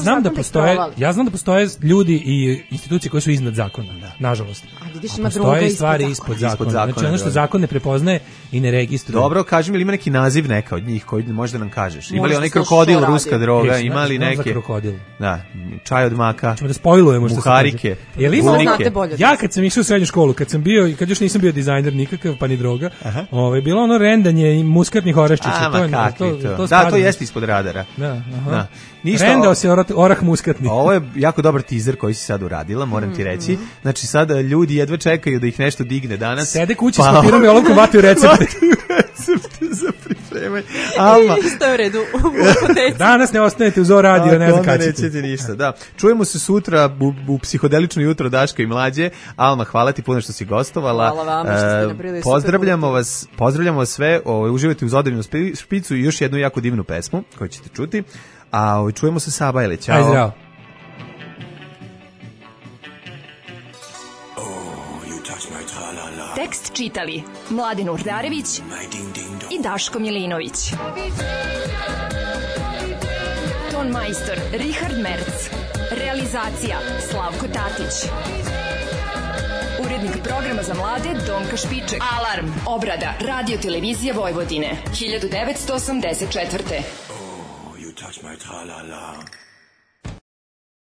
znam da postoje ljudi i institucije koje su iznad zakona, nažalost. A vidiš, ima droga postoje stvari ispod zakona. Znači ono što zakon ne prepoznaje i ne registruje. Dobro, kaži mi, ili ima neki naziv neka od njih koji možda nam kažeš? Ima li onaj krokodil, ruska droga, ima li neke? Da, čaj od maka. Ćemo da spojlujemo što se muharike. Ja kad sam išao u srednju školu, kad sam bio i kad još nisam bio dizajner nikakav, pa ni droga, bilo ono rendanje i muskatnih oreščića. Da, to jeste ispod radara. Da. Rendao se orah muskatni. Ovo je jako dobar teaser koji si sad uradila, moram ti reći. Znači sad ljudi jedva čekaju da ih nešto digne danas. Sede kući s papirom i olovkom vataju recepte. Za pripremanje. Alma. Isto je u redu. Danas ne ostanete uz radio, ne znam kada ćete. Nećete ništa, da. Čujemo se sutra u psihodelično jutro Daška i Mlađe. Alma, hvala ti puno što si gostovala. Hvala vam što ste napravili pozdravljamo vas sve. Uživajte uz Odrinu špicu i još jednu jako divnu pesmu koju ćete čuti. A čujemo se Sabajle. Ćao. Aj zdravo. Tekst čitali Mladin Urdarević i Daško Milinović. Ton majstor Richard Merc. Realizacija Slavko Tatić. Urednik programa za mlade Donka Špiček. Alarm. Obrada Radio Televizija Vojvodine 1984. You touch my tra-la-la.